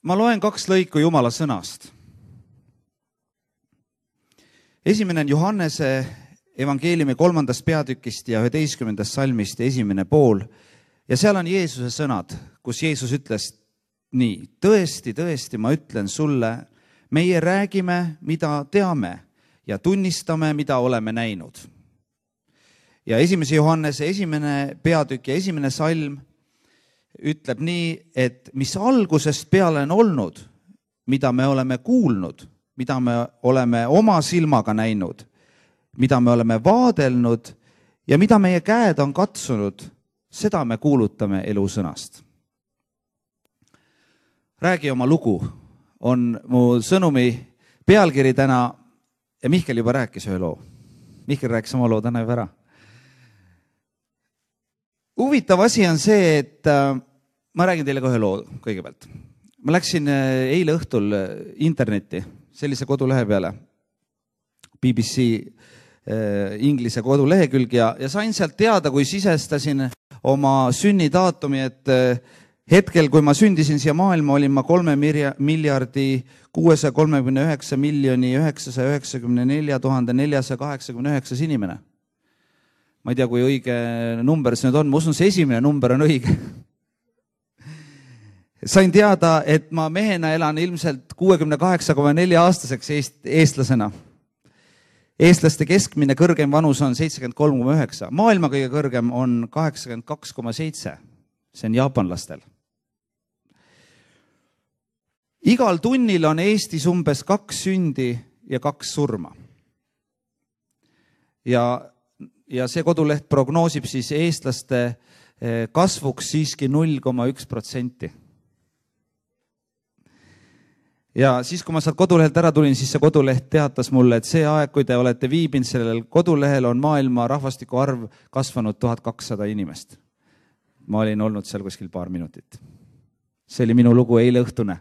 Ma loen 2 lõiku Jumala sõnast. Esimene on Johannese evangeeliumi 3. peatükist ja 11. salmist esimene pool. Ja seal on Jeesuse sõnad, kus Jeesus ütles nii: tõesti, tõesti, ma ütlen sulle, meie räägime, mida teame ja tunnistame, mida oleme näinud. Ja 1. Johannese 1. peatükk ja 1. salm ütleb nii, et mis algusest peale on olnud, mida me oleme kuulnud, mida me oleme oma silmaga näinud, mida me oleme vaadelnud ja mida meie käed on katsunud, seda me kuulutame elusõnast. Räägi oma lugu on mu sõnumi pealkiri täna ja Mihkel juba rääkis ühe loo. Mihkel rääkis oma loo täna juba ära. Huvitav asi on see, et ma räägin teile ka ühe loo kõigepealt. Ma läksin eile õhtul internetti, sellise kodulehe peale, BBC inglise kodulehekülg ja sain sealt teada, kui sisestasin oma sünnidaatumi, et hetkel, kui ma sündisin siia maailma, olin ma 3 miljardi 639 miljoni 994 489 inimene. Ma ei tea, kui õige number see nüüd on. Ma usun, see esimene number on õige. Sain teada, et ma mehena elan ilmselt 68,4 aastaseks eestlasena. Eestlaste keskmine kõrgem vanus on 73,9. Maailma kõige kõrgem on 82,7. See on jaapanlastel. Igal tunnil on Eestis umbes 2 sündi ja 2 surma. Ja see koduleht prognoosib siis eestlaste kasvuks siiski 0,1%. Ja siis, kui ma sealt kodulehelt ära tulin, siis see koduleht teatas mulle, et see aeg, kui te olete viibinud sellel kodulehel, on maailma rahvastiku arv kasvanud 1200 inimest. Ma olin olnud seal kuskil paar minutit. See oli minu lugu eile õhtune.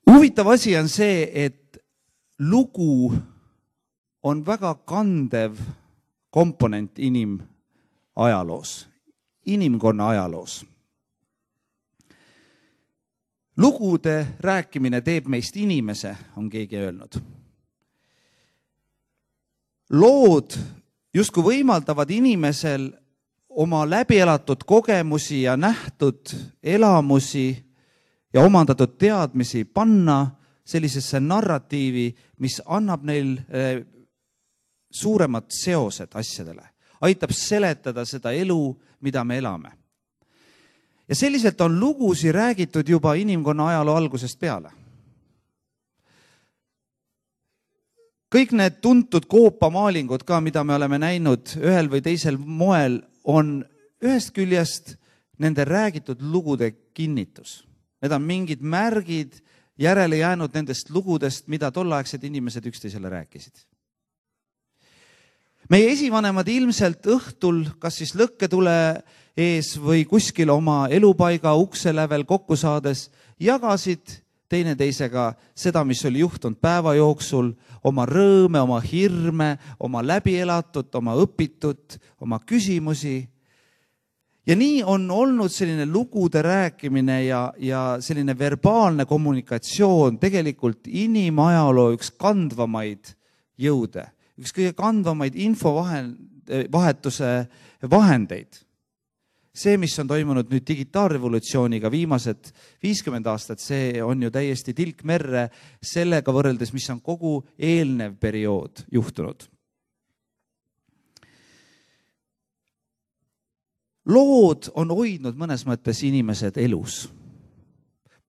Huvitav asi on see, et lugu on väga kandev komponent inimajaloos, inimkonna ajaloos. Lugude rääkimine teeb meist inimese, on keegi öelnud. Lood justkui võimaldavad inimesel oma läbielatud kogemusi ja nähtud elamusi ja omandatud teadmisi panna sellisesse narratiivi, mis annab neil suuremad seosed asjadele. Aitab seletada seda elu, mida me elame. Ja selliselt on lugusi räägitud juba inimkonna ajaloo algusest peale. Kõik need tuntud koopamaalingud ka, mida me oleme näinud ühel või teisel moel, on ühest küljest nende räägitud lugude kinnitus. Need on mingid märgid järele jäänud nendest lugudest, mida tollaegsed inimesed üksteisele rääkisid. Meie esivanemad ilmselt õhtul, kas siis lõkketule ees või kuskil oma elupaiga ukselävel kokku saades, jagasid teineteisega seda, mis oli juhtunud päeva jooksul, oma rõõme, oma hirme, oma läbielatut, oma õpitut, oma küsimusi. Ja nii on olnud selline lugude rääkimine ja selline verbaalne kommunikatsioon tegelikult inimajaloo üks kandvamaid jõude, üks kõige kandvamaid infovahetuse vahendeid. See, mis on toimunud nüüd digitaalrevolutsiooniga viimased 50 aastat, see on ju täiesti tilk merre sellega võrreldes, mis on kogu eelnev periood juhtunud. Lood on hoidnud mõnes mõttes inimesed elus.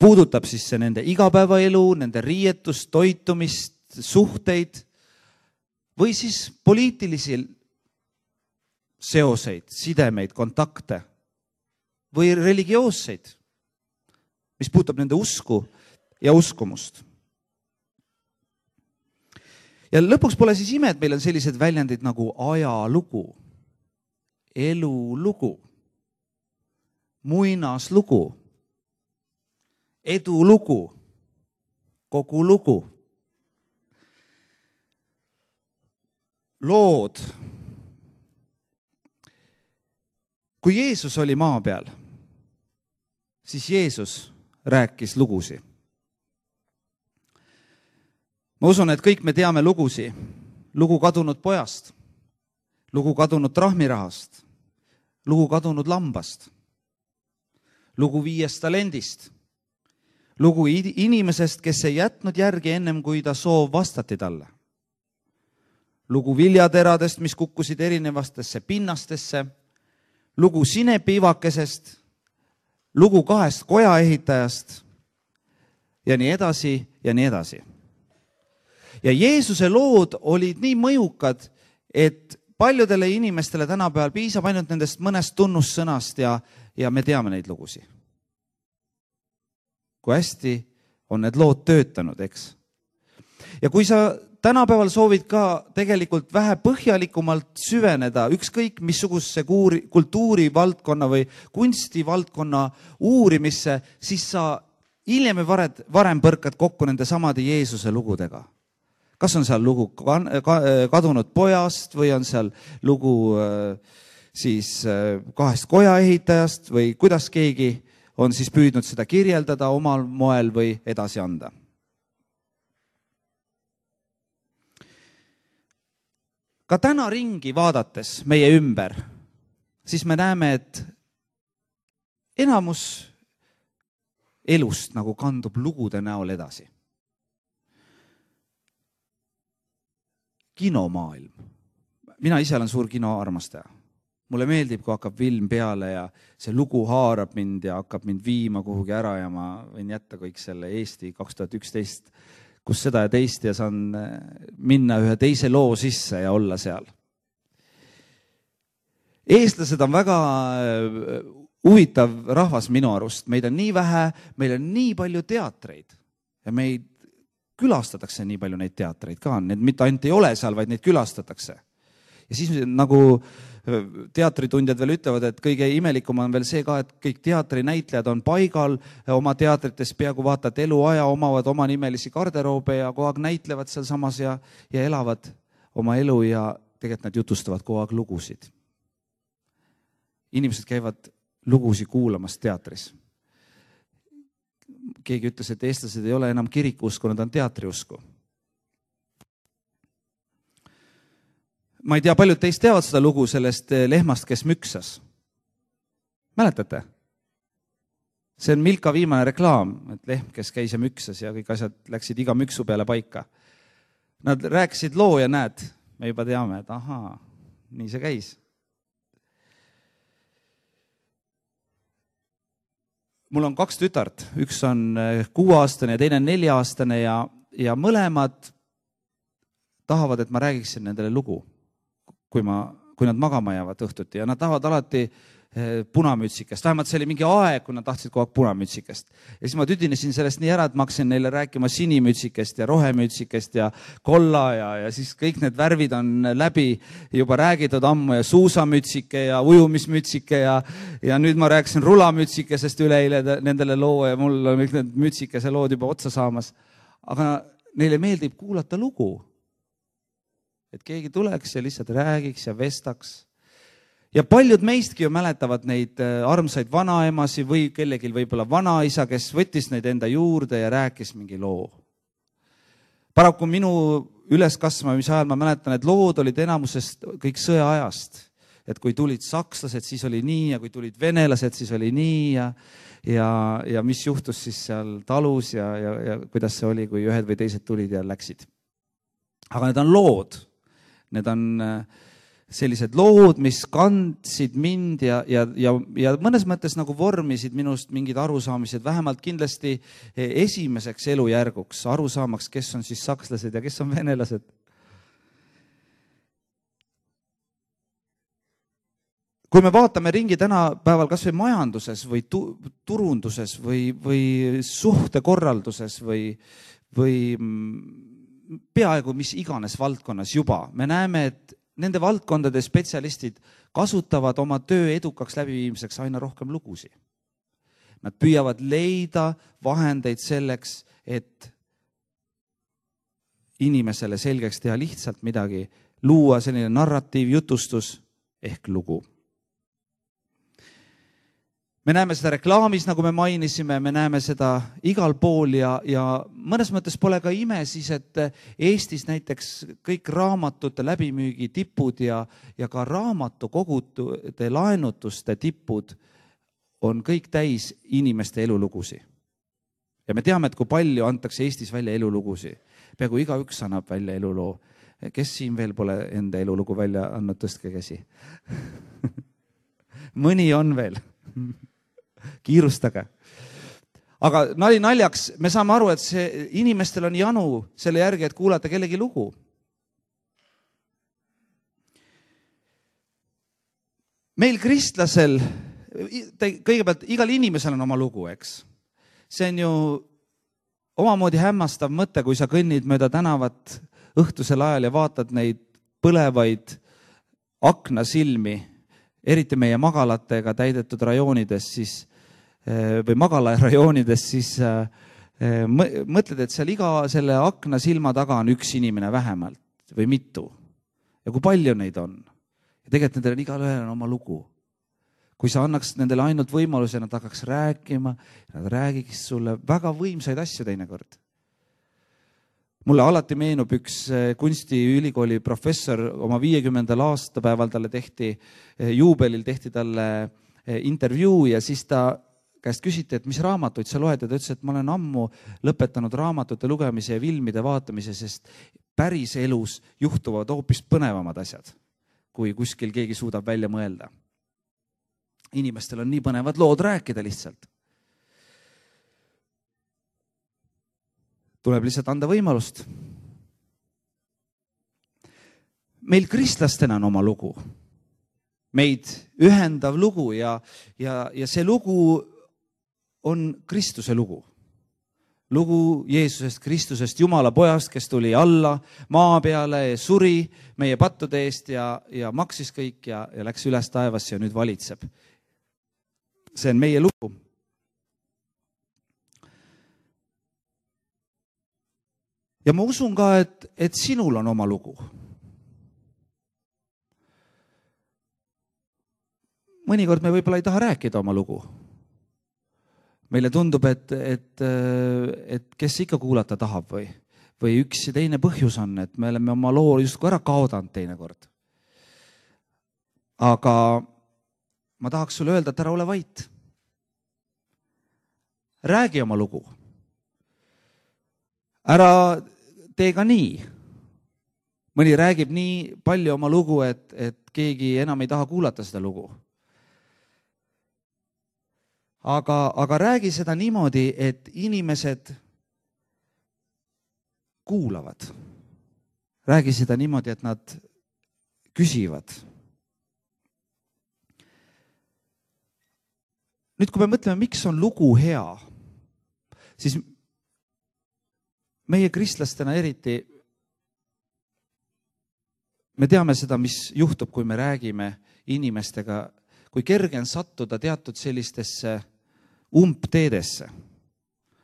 Puudutab siis see nende igapäevaelu, nende riietust, toitumist, suhteid või siis poliitilisi seoseid, sidemeid, kontakte või religioosseid, mis puudutab nende usku ja uskumust. Ja lõpuks pole siis ime, et meil on sellised väljendid nagu ajalugu, elulugu, muinaslugu, edulugu, kogu lugu. Lood. Kui Jeesus oli maa peal, siis Jeesus rääkis lugusi. Ma usun, et kõik me teame lugusi. Lugu kadunud pojast, lugu kadunud trahmirahast, lugu kadunud lambast, lugu 5 talendist, lugu inimesest, kes ei jätnud järgi ennem, kui ta soov vastati talle. Lugu viljateradest, mis kukkusid erinevastesse pinnastesse, lugu sinepiivakesest, lugu 2 kojaehitajast ja nii edasi ja nii edasi. Ja Jeesuse lood olid nii mõjukad, et paljudele inimestele tänapäeval piisab ainult nendest mõnest tunnussõnast ja me teame neid lugusi. Kui hästi on need lood töötanud, eks? Ja kui sa tänapäeval soovid ka tegelikult vähe põhjalikumalt süveneda ükskõik missuguse kultuurivaldkonna või kunstivaldkonna uurimisse, siis sa hiljem või varem põrkad kokku nende samade Jeesuse lugudega. Kas on seal lugu kadunud pojast või on seal lugu siis 2 kojaehitajast või kuidas keegi on siis püüdnud seda kirjeldada omal moel või edasi anda. Ka täna ringi vaadates meie ümber, siis me näeme, et enamus elust nagu kandub lugude näol edasi. Kinomaailm. Mina ise olen suur kinoarmastaja. Mulle meeldib, kui hakkab film peale ja see lugu haarab mind ja hakkab mind viima kuhugi ära ja ma võin jätta kõik selle Eesti 2011 kus seda ja teist ja saan minna ühe teise loo sisse ja olla seal. Eestlased on väga huvitav rahvas minu arust. Meid on nii vähe, meil on nii palju teatreid ja meid külastatakse nii palju neid teatreid ka. Need mitte ainult ei ole seal, vaid neid külastatakse. Ja siis nagu teatritundjad veel ütlevad, et kõige imelikum on veel see ka, et kõik teatrinäitlejad on paigal oma teatrites peaaegu vaatad eluaja, omavad oma nimelisi garderoobe ja kogu aeg näitlevad seal samas ja elavad oma elu ja tegelikult nad jutustavad kogu aeg lugusid. Inimesed käivad lugusi kuulamas teatris. Keegi ütles, et eestlased ei ole enam kirikuusku, nad on teatriusku. Ma ei tea, paljud teist teavad seda lugu sellest lehmast, kes müksas. Mäletate? See on Milka viimane reklaam, et lehm, kes käis ja müksas ja kõik asjad läksid iga müksu peale paika. Nad rääkisid loo ja näed, me juba teame, et ahaa, nii see käis. Mul on 2 tütart, üks on 6-aastane ja teine 4-aastane ja mõlemad tahavad, et ma räägiksin nendele lugu. Kui nad magama jäävad õhtuti ja nad tahavad alati punamütsikest. Vähemalt see oli mingi aeg, kui nad tahtsid kogu aeg punamütsikest. Ja siis ma tüdinesin sellest nii ära, et ma hakkasin neile rääkima sinimütsikest ja rohemütsikest ja kolla ja siis kõik need värvid on läbi juba räägitud ammu ja suusamütsike ja ujumismütsike ja nüüd ma rääkisin rulamütsikesest üleile nendele loo ja mul on kõik need mütsikese lood juba otsa saamas. Aga neile meeldib kuulata lugu. Et keegi tuleks ja lihtsalt räägiks ja vestaks. Ja paljud meistki ju mäletavad neid armsaid vanaemasi või kellegil võib-olla vanaisa, kes võttis neid enda juurde ja rääkis mingi loo. Paraku minu üleskasvamise ajal ma mäletan, et lood olid enamusest kõik sõjaajast. Et kui tulid sakslased, siis oli nii ja kui tulid venelased, siis oli nii ja mis juhtus siis seal talus ja kuidas see oli, kui ühed või teised tulid ja läksid. Aga need on lood. Need on sellised lood, mis kandsid mind ja mõnes mõttes nagu vormisid minust mingid arusaamised, vähemalt kindlasti esimeseks elujärguks, arusaamaks, kes on siis sakslased ja kes on venelased. Kui me vaatame ringi tänapäeval kas või majanduses või turunduses või suhtekorralduses või peaaegu mis iganes valdkonnas juba. Me näeme, et nende valdkondade spetsialistid kasutavad oma töö edukaks läbiviimiseks aina rohkem lugusi. Nad püüavad leida vahendeid selleks, et inimesele selgeks teha lihtsalt midagi, luua selline narratiiv, jutustus ehk lugu. Me näeme seda reklaamis, nagu me mainisime, me näeme seda igal pool ja mõnes mõttes pole ka ime siis, et Eestis näiteks kõik raamatute läbimüügi tipud ja ka raamatukogude laenutuste tipud on kõik täis inimeste elulugusi. Ja me teame, et kui palju antakse Eestis välja elulugusi. Peaaegu igaüks annab välja eluloo. Kes siin veel pole enda elulugu välja andnud, tõstke käsi. Mõni on veel. Kiirustage. Aga nali naljaks, me saame aru, et inimestel on janu selle järgi, et kuulata kellegi lugu. Meil kristlasel, kõigepealt igal inimesel on oma lugu, eks. See on ju omamoodi hämmastav mõte, kui sa kõnnid mööda tänavat õhtusel ajal ja vaatad neid põlevaid aknasilmi, eriti meie magalatega täidetud rajoonides, siis, või magalarajoonides, siis mõtled, et seal iga selle akna silma taga on üks inimene vähemalt või mitu. Ja kui palju neid on? Ja tegelikult nendel igal ühel on oma lugu. Kui sa annaks nendele ainult võimaluse, nad hakkaks rääkima, nad räägiks sulle väga võimsaid asju teinekord. Mulle alati meenub üks kunstiülikooli professor, oma 50. aastapäeval talle juubelil tehti talle intervjuu ja siis ta käest küsiti, et mis raamatuid sa loed ja ta ütles, et ma olen ammu lõpetanud raamatute lugemise ja filmide vaatamise, sest päris elus juhtuvad hoopis põnevamad asjad, kui kuskil keegi suudab välja mõelda. Inimestel on nii põnevad lood rääkida lihtsalt. Tuleb lihtsalt anda võimalust. Meil kristlastena on oma lugu. Meid ühendav lugu ja see lugu on Kristuse lugu. Lugu Jeesusest, Kristusest, Jumala pojast, kes tuli alla maa peale ja suri meie pattude eest ja maksis kõik ja läks üles taevasse ja nüüd valitseb. See on meie lugu. Ja ma usun ka, et sinul on oma lugu. Mõnikord me võib-olla ei taha rääkida oma lugu. Meile tundub, et kes ikka kuulata tahab või üks ja teine põhjus on, et me oleme oma loo justkui ära kaodanud teinekord. Aga ma tahaks sulle öelda, et ära ole vait. Räägi oma lugu. Ära tee ka nii. Mõni räägib nii palju oma lugu, et keegi enam ei taha kuulata seda lugu. Aga räägi seda niimoodi, et inimesed kuulavad. Räägi seda niimoodi, et nad küsivad. Nüüd, kui me mõtleme, miks on lugu hea, siis meie kristlastena eriti me teame seda, mis juhtub, kui me räägime inimestega, kui kerge on sattuda teatud sellistesse umbteedesse.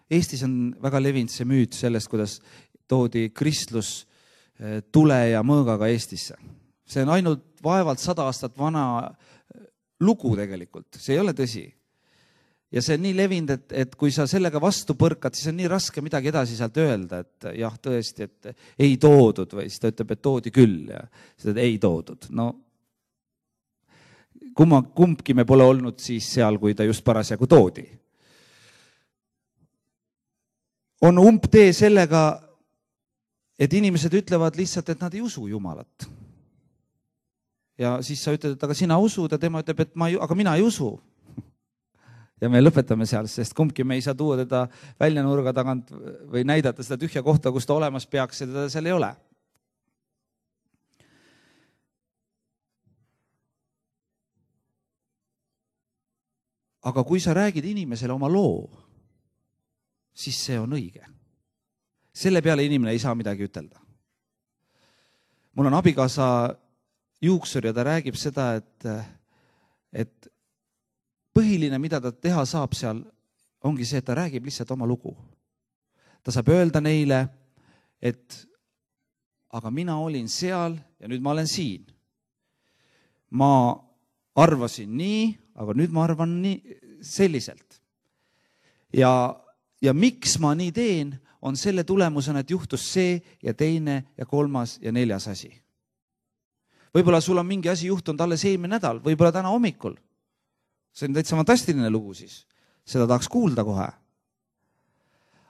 Eestis on väga levinud see müüt sellest, kuidas toodi kristlus tule ja mõõgaga Eestisse. See on ainult vaevalt 100 aastat vana lugu tegelikult, see ei ole tõsi. Ja see on nii levinud, et kui sa sellega vastu põrkad, siis on nii raske midagi edasi sealt öelda, et jah, tõesti, et ei toodud või siis ta ütleb, et toodi küll ja seda ei toodud. No, kumbki me pole olnud siis seal, kui ta just parasjagu toodi. On umbtee sellega, et inimesed ütlevad lihtsalt, et nad ei usu Jumalat. Ja siis sa ütled, et aga sina usud ja tema ütleb, et aga mina ei usu. Ja me lõpetame seal, sest kumbki me ei saa tuua teda välja nurga tagant või näidata seda tühja kohta, kus ta olemas peaks ja teda seal ei ole. Aga kui sa räägid inimesele oma loo, siis see on õige. Selle peale inimene ei saa midagi ütelda. Mul on abikaasa juuksur ja ta räägib seda, et põhiline, mida ta teha saab seal, ongi see, et ta räägib lihtsalt oma lugu. Ta saab öelda neile, et aga mina olin seal ja nüüd ma olen siin. Ma arvasin nii, aga nüüd ma arvan nii, selliselt. Ja miks ma nii teen, on selle tulemusena, et juhtus see ja teine ja kolmas ja neljas asi. Võib-olla sul on mingi asi juhtunud alles eelmine nädal, võib-olla täna hommikul. See on täitsa fantastiline lugu siis. Seda tahaks kuulda kohe.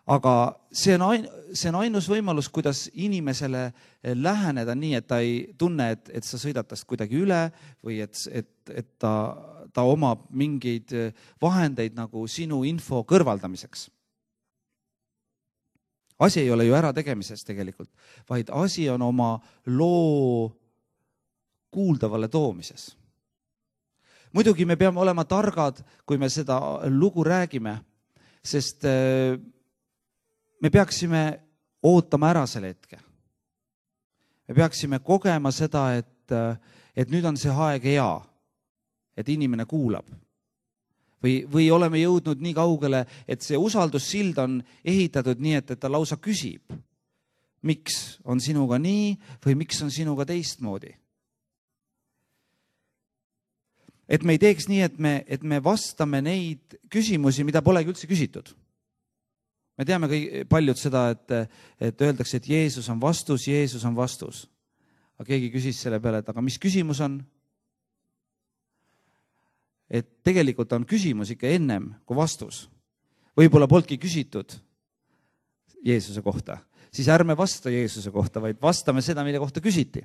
Aga see on ainus võimalus, kuidas inimesele läheneda nii, et ta ei tunne, et sa sõidad tast kuidagi üle või et ta omab mingeid vahendeid nagu sinu info kõrvaldamiseks. Asi ei ole ju ära tegemises tegelikult, vaid asi on oma loo kuuldavale toomises. Muidugi me peame olema targad, kui me seda lugu räägime, sest me peaksime ootama ära selle hetke. Me peaksime kogema seda, et nüüd on see aeg hea, et inimene kuulab. Või oleme jõudnud nii kaugele, et see usaldussild on ehitatud nii, et ta lausa küsib, miks on sinuga nii või miks on sinuga teistmoodi. Et me ei teeks nii, et me vastame neid küsimusi, mida polegi üldse küsitud. Me teame paljud seda, et öeldakse, et Jeesus on vastus, Jeesus on vastus. Aga keegi küsis selle peale, et aga mis küsimus on? Et tegelikult on küsimus ikka ennem kui vastus. Võib-olla polnudki küsitud Jeesuse kohta. Siis ärme vasta Jeesuse kohta, vaid vastame seda, mille kohta küsiti.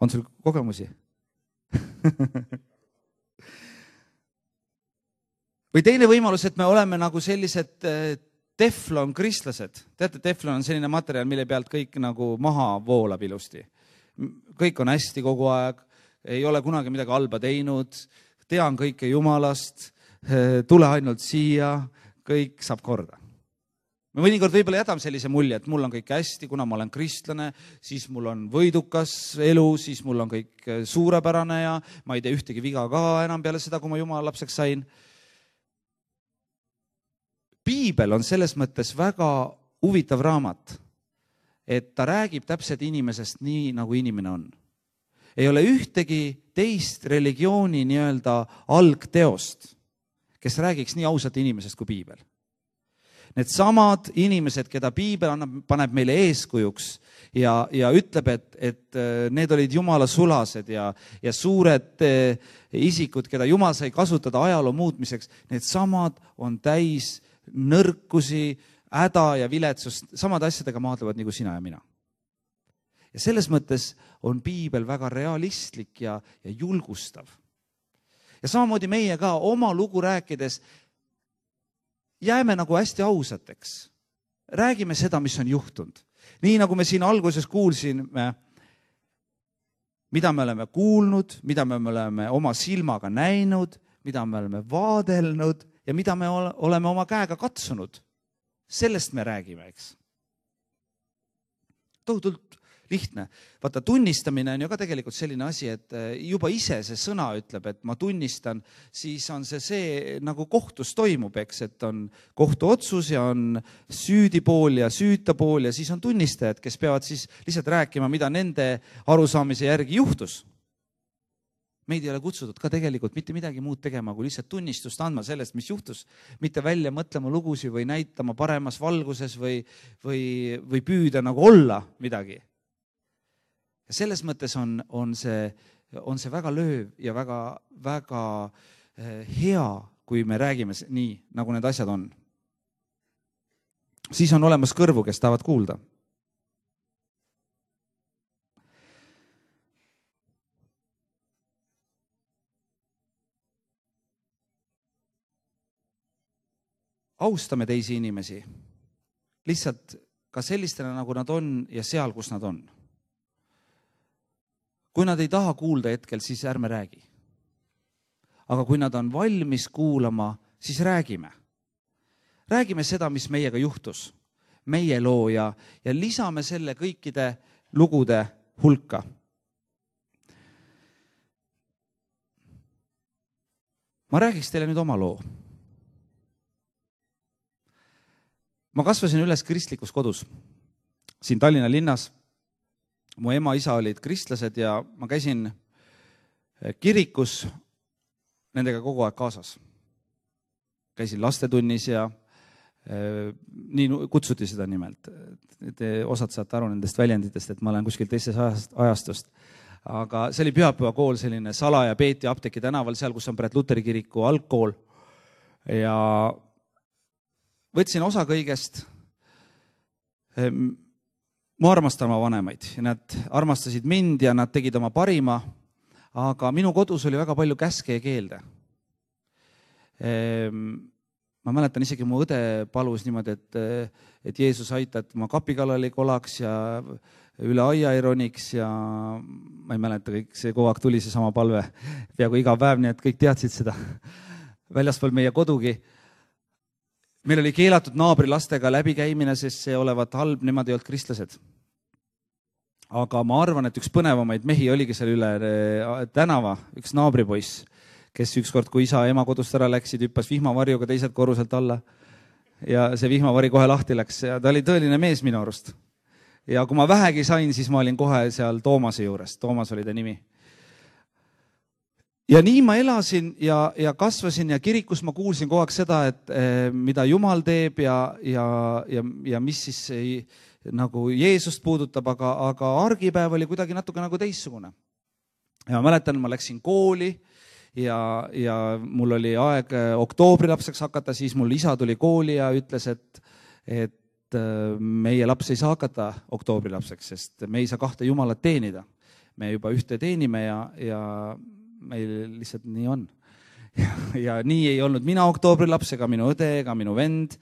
On sul kogemusi? Või teine võimalus, et me oleme nagu sellised teflon kristlased. Teate, teflon on selline materjal, mille pealt kõik nagu maha voolab ilusti. Kõik on hästi kogu aeg, ei ole kunagi midagi halba teinud, tean kõike Jumalast, tule ainult siia, kõik saab korda. Me mõnikord võib-olla jätame sellise mulje, et mul on kõik hästi, kuna ma olen kristlane, siis mul on võidukas elu, siis mul on kõik suurepärane ja ma ei tee ühtegi viga ka enam peale seda, kui ma Jumala lapseks sain. Piibel on selles mõttes väga huvitav raamat, et ta räägib täpselt inimesest nii, nagu inimene on. Ei ole ühtegi teist religiooni nii-öelda algteost, kes räägiks nii ausalt inimesest kui Piibel. Need samad inimesed, keda Piibel paneb meile eeskujuks ja ütleb, et need olid Jumala sulased ja suured isikud, keda Jumal sai kasutada ajaloo muutmiseks, need samad on täis nõrkusi, häda ja viletsust, samad asjadega maadlevad nagu sina ja mina. Ja selles mõttes on Piibel väga realistlik ja julgustav. Ja samamoodi meie ka oma lugu rääkides jääme nagu hästi ausateks. Räägime seda, mis on juhtunud. Nii nagu me siin alguses kuulsime, mida me oleme kuulnud, mida me oleme oma silmaga näinud, mida me oleme vaadelnud ja mida me oleme oma käega katsunud. Sellest me räägime, eks. Tohutult lihtne. Vaata, tunnistamine on ju ka tegelikult selline asi, et juba ise see sõna ütleb, et ma tunnistan, siis on see nagu kohtus toimub, eks, et on kohtuotsus ja on süüdipool ja süütapool ja siis on tunnistajad, kes peavad siis lihtsalt rääkima, mida nende arusaamise järgi juhtus. Meid ei ole kutsutud ka tegelikult mitte midagi muud tegema, kui lihtsalt tunnistust andma sellest, mis juhtus, mitte välja mõtlema lugusi või näitama paremas valguses või püüda nagu olla midagi. Ja selles mõttes on see väga lööv ja väga hea, kui me räägime nii, nagu need asjad on. Siis on olemas kõrvu, kes tahavad kuulda. Austame teisi inimesi, lihtsalt ka sellistena, nagu nad on ja seal, kus nad on. Kui nad ei taha kuulda hetkel, siis ärme räägi. Aga kui nad on valmis kuulama, siis räägime. Räägime seda, mis meiega juhtus, meie loo ja lisame selle kõikide lugude hulka. Ma räägiks teile nüüd oma loo. Ma kasvasin üles kristlikus kodus siin Tallinna linnas mu ema, isa olid kristlased ja ma käisin kirikus nendega kogu aeg kaasas. Käisin lastetunnis ja nii kutsuti seda nimelt. Te osad saate aru nendest väljenditest, et ma olen kuskil teisest ajastust. Aga see oli pühapäevakool, selline Salaja Peeti Apteeki tänaval, seal, kus on praegu Luteri kiriku algkool. Ja võtsin osa kõigest. Ma armastan oma vanemaid ja nad armastasid mind ja nad tegid oma parima, aga minu kodus oli väga palju käske ja keelde. Ma mäletan isegi mu õde palus niimoodi, et Jeesus aita, et ma kapi kallal ei kolaks ja üle aia ei roniks ja ma ei mäleta, kõik see kogu aeg tuli see sama palve peaaegu iga päev, nii et kõik teadsid seda väljaspool meie kodugi. Meil oli keelatud naabri lastega läbikäimine, sest see olevat halb, nemad ei olnud kristlased. Aga ma arvan, et üks põnevamaid mehi oligi seal üle tänava, üks naabripoiss, kes ükskord, kui isa ja ema kodust ära läksid, hüppas vihmavarjuga teiselt korruselt alla ja see vihmavari kohe lahti läks ja ta oli tõeline mees minu arust. Ja kui ma vähegi sain, siis ma olin kohe seal Toomase juures. Toomas oli ta nimi. Ja nii ma elasin ja kasvasin ja kirikus ma kuulsin kogu aeg seda, et mida Jumal teeb ja mis siis nagu Jeesust puudutab, aga argipäev oli kuidagi natuke nagu teissugune. Ja ma mäletan, ma läksin kooli ja mul oli aeg oktoobrilapseks hakata, siis mul isa tuli kooli ja ütles, et meie laps ei saa hakata oktoobrilapseks, sest me ei saa kahte Jumalat teenida. Me juba ühte teenime ja meil lihtsalt nii on. Ja nii ei olnud mina oktoobrilaps ega minu õde ega minu vend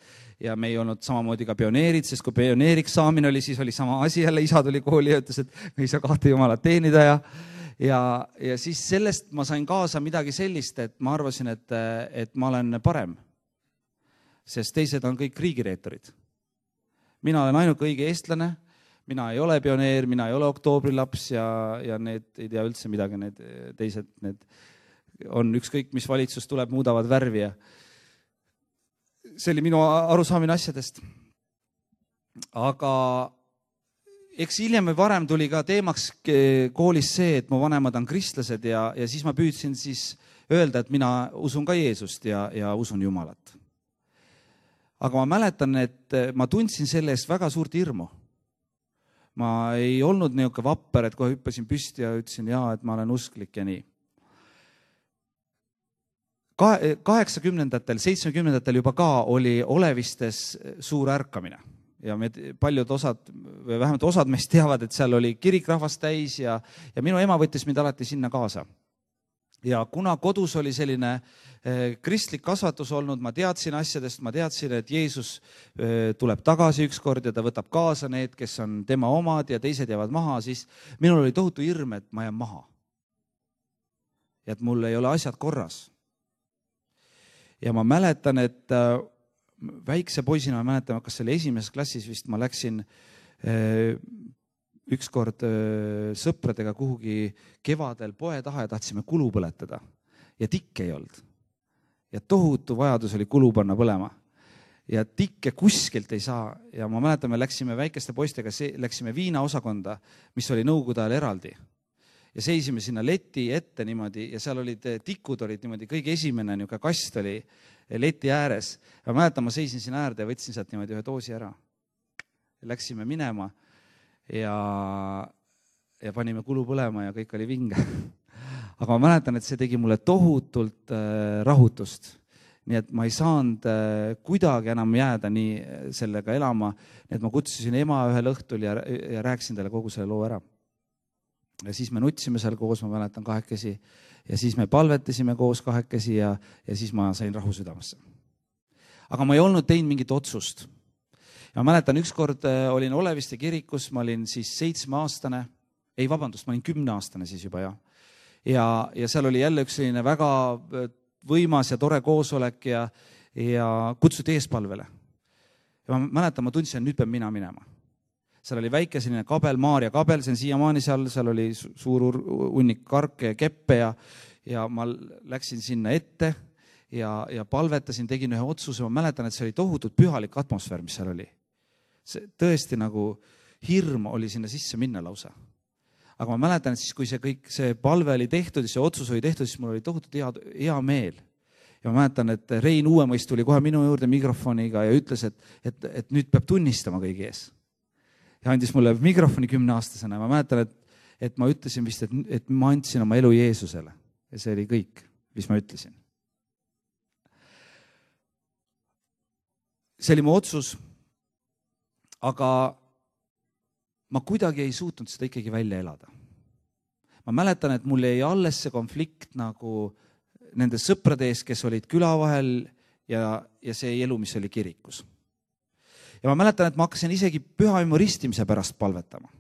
ja me ei olnud samamoodi ka pioneerid, sest kui pioneeriks saamine oli, siis oli sama asi jälle, isa tuli kooli ja ütles, et me ei saa kahte Jumalat teenida ja siis sellest ma sain kaasa midagi sellist, et ma arvasin, et ma olen parem, sest teised on kõik riigireetorid. Mina olen ainuke õige eestlane, mina ei ole pioneer, mina ei ole oktoobrilaps ja need ei tea üldse midagi, need teised, need on ükskõik, mis valitsus tuleb, muudavad värvi ja see oli minu arusaamine asjadest. Aga eks hiljem või varem tuli ka teemaks koolis see, et mu vanemad on kristlased ja siis ma püüdsin siis öelda, et mina usun ka Jeesust ja usun Jumalat. Aga ma mäletan, et ma tundsin selle eest väga suurt hirmu. Ma ei olnud niisugune vapper, et kohe hüppasin püsti ja ütlesin, et ma olen usklik ja nii. 80-ndatel, 70-ndatel juba ka oli Olevistes suur ärkamine. Ja paljud osad, või vähemalt osad meist teavad, et seal oli kirikrahvast täis ja minu ema võttis mind alati sinna kaasa. Ja kuna kodus oli selline kristlik kasvatus olnud, ma teadsin asjadest, ma teadsin, et Jeesus tuleb tagasi ükskord ja ta võtab kaasa need, kes on tema omad ja teised jäävad maha, siis minul oli tohutu hirm, et ma jään maha. Ja et mul ei ole asjad korras. Ja ma mäletan, et väikse poisina, ma mäletan, kas see oli esimeses klassis vist, ma läksin ükskord sõpradega kuhugi kevadel poe taha ja tahtsime kulu põletada. Ja tikke ei olnud. Ja tohutu vajadus oli kulu panna põlema. Ja tikke kuskilt ei saa. Ja ma mäletan, me läksime väikeste poistega, läksime viinaosakonda, mis oli nõukogude ajal eraldi. Ja seisime sinna leti ette niimoodi ja seal olid tikud olid niimoodi, kõige esimene niisugune kast oli leti ääres. Ja mäletan, ma seisin siin äärde ja võtsin sealt niimoodi ühe doosi ära. Ja läksime minema ja panime kulu põlema ja kõik oli vinge. Aga ma mäletan, et see tegi mulle tohutult rahutust. Nii et ma ei saanud kuidagi enam jääda nii sellega elama. Nii et ma kutsusin ema ühel õhtul ja rääkisin talle kogu selle loo ära. Ja siis me nutsime seal koos, ma mäletan kahekesi, ja siis me palvetasime koos kahekesi ja siis ma sain rahu südamesse. Aga ma ei olnud teinud mingit otsust. Ja ma mäletan, ükskord olin Oleviste kirikus, ma olin siis 7-aastane, ma olin 10-aastane siis juba ja seal oli jälle üks selline väga võimas ja tore koosolek ja kutsuti eespalvele. Ja ma mäletan, ma tundsin, et nüüd pean mina minema. Seal oli väike selline kabel, Maarja kabel, see on siiamaani seal oli suur hunnik karke ja keppe ja ma läksin sinna ette ja palvetasin, tegin ühe otsuse. Ma mäletan, et see oli tohutult pühalik atmosfäär, mis seal oli. See tõesti nagu hirm oli sinna sisse minna lausa. aga ma mäletan, et siis, kui see palve oli tehtud ja see otsus oli tehtud, siis mul oli tohutult hea meel. Ja ma mäletan, et Rein Uuemõist tuli kohe minu juurde mikrofoniga ja ütles, et nüüd peab tunnistama kõigi ees. Ja andis mulle mikrofoni 10-aastasena. Ma mäletan, et ma ütlesin vist, et ma andsin oma elu Jeesusele. Ja see oli kõik, mis ma ütlesin. See oli mu otsus, aga ma kuidagi ei suutnud seda ikkagi välja elada. Ma mäletan, et mul jäi alles see konflikt nagu nende sõprade ees, kes olid küla vahel ja see elu, mis oli kirikus. Ja ma mäletan, et ma hakkasin isegi pühavaimu ristimise pärast palvetama.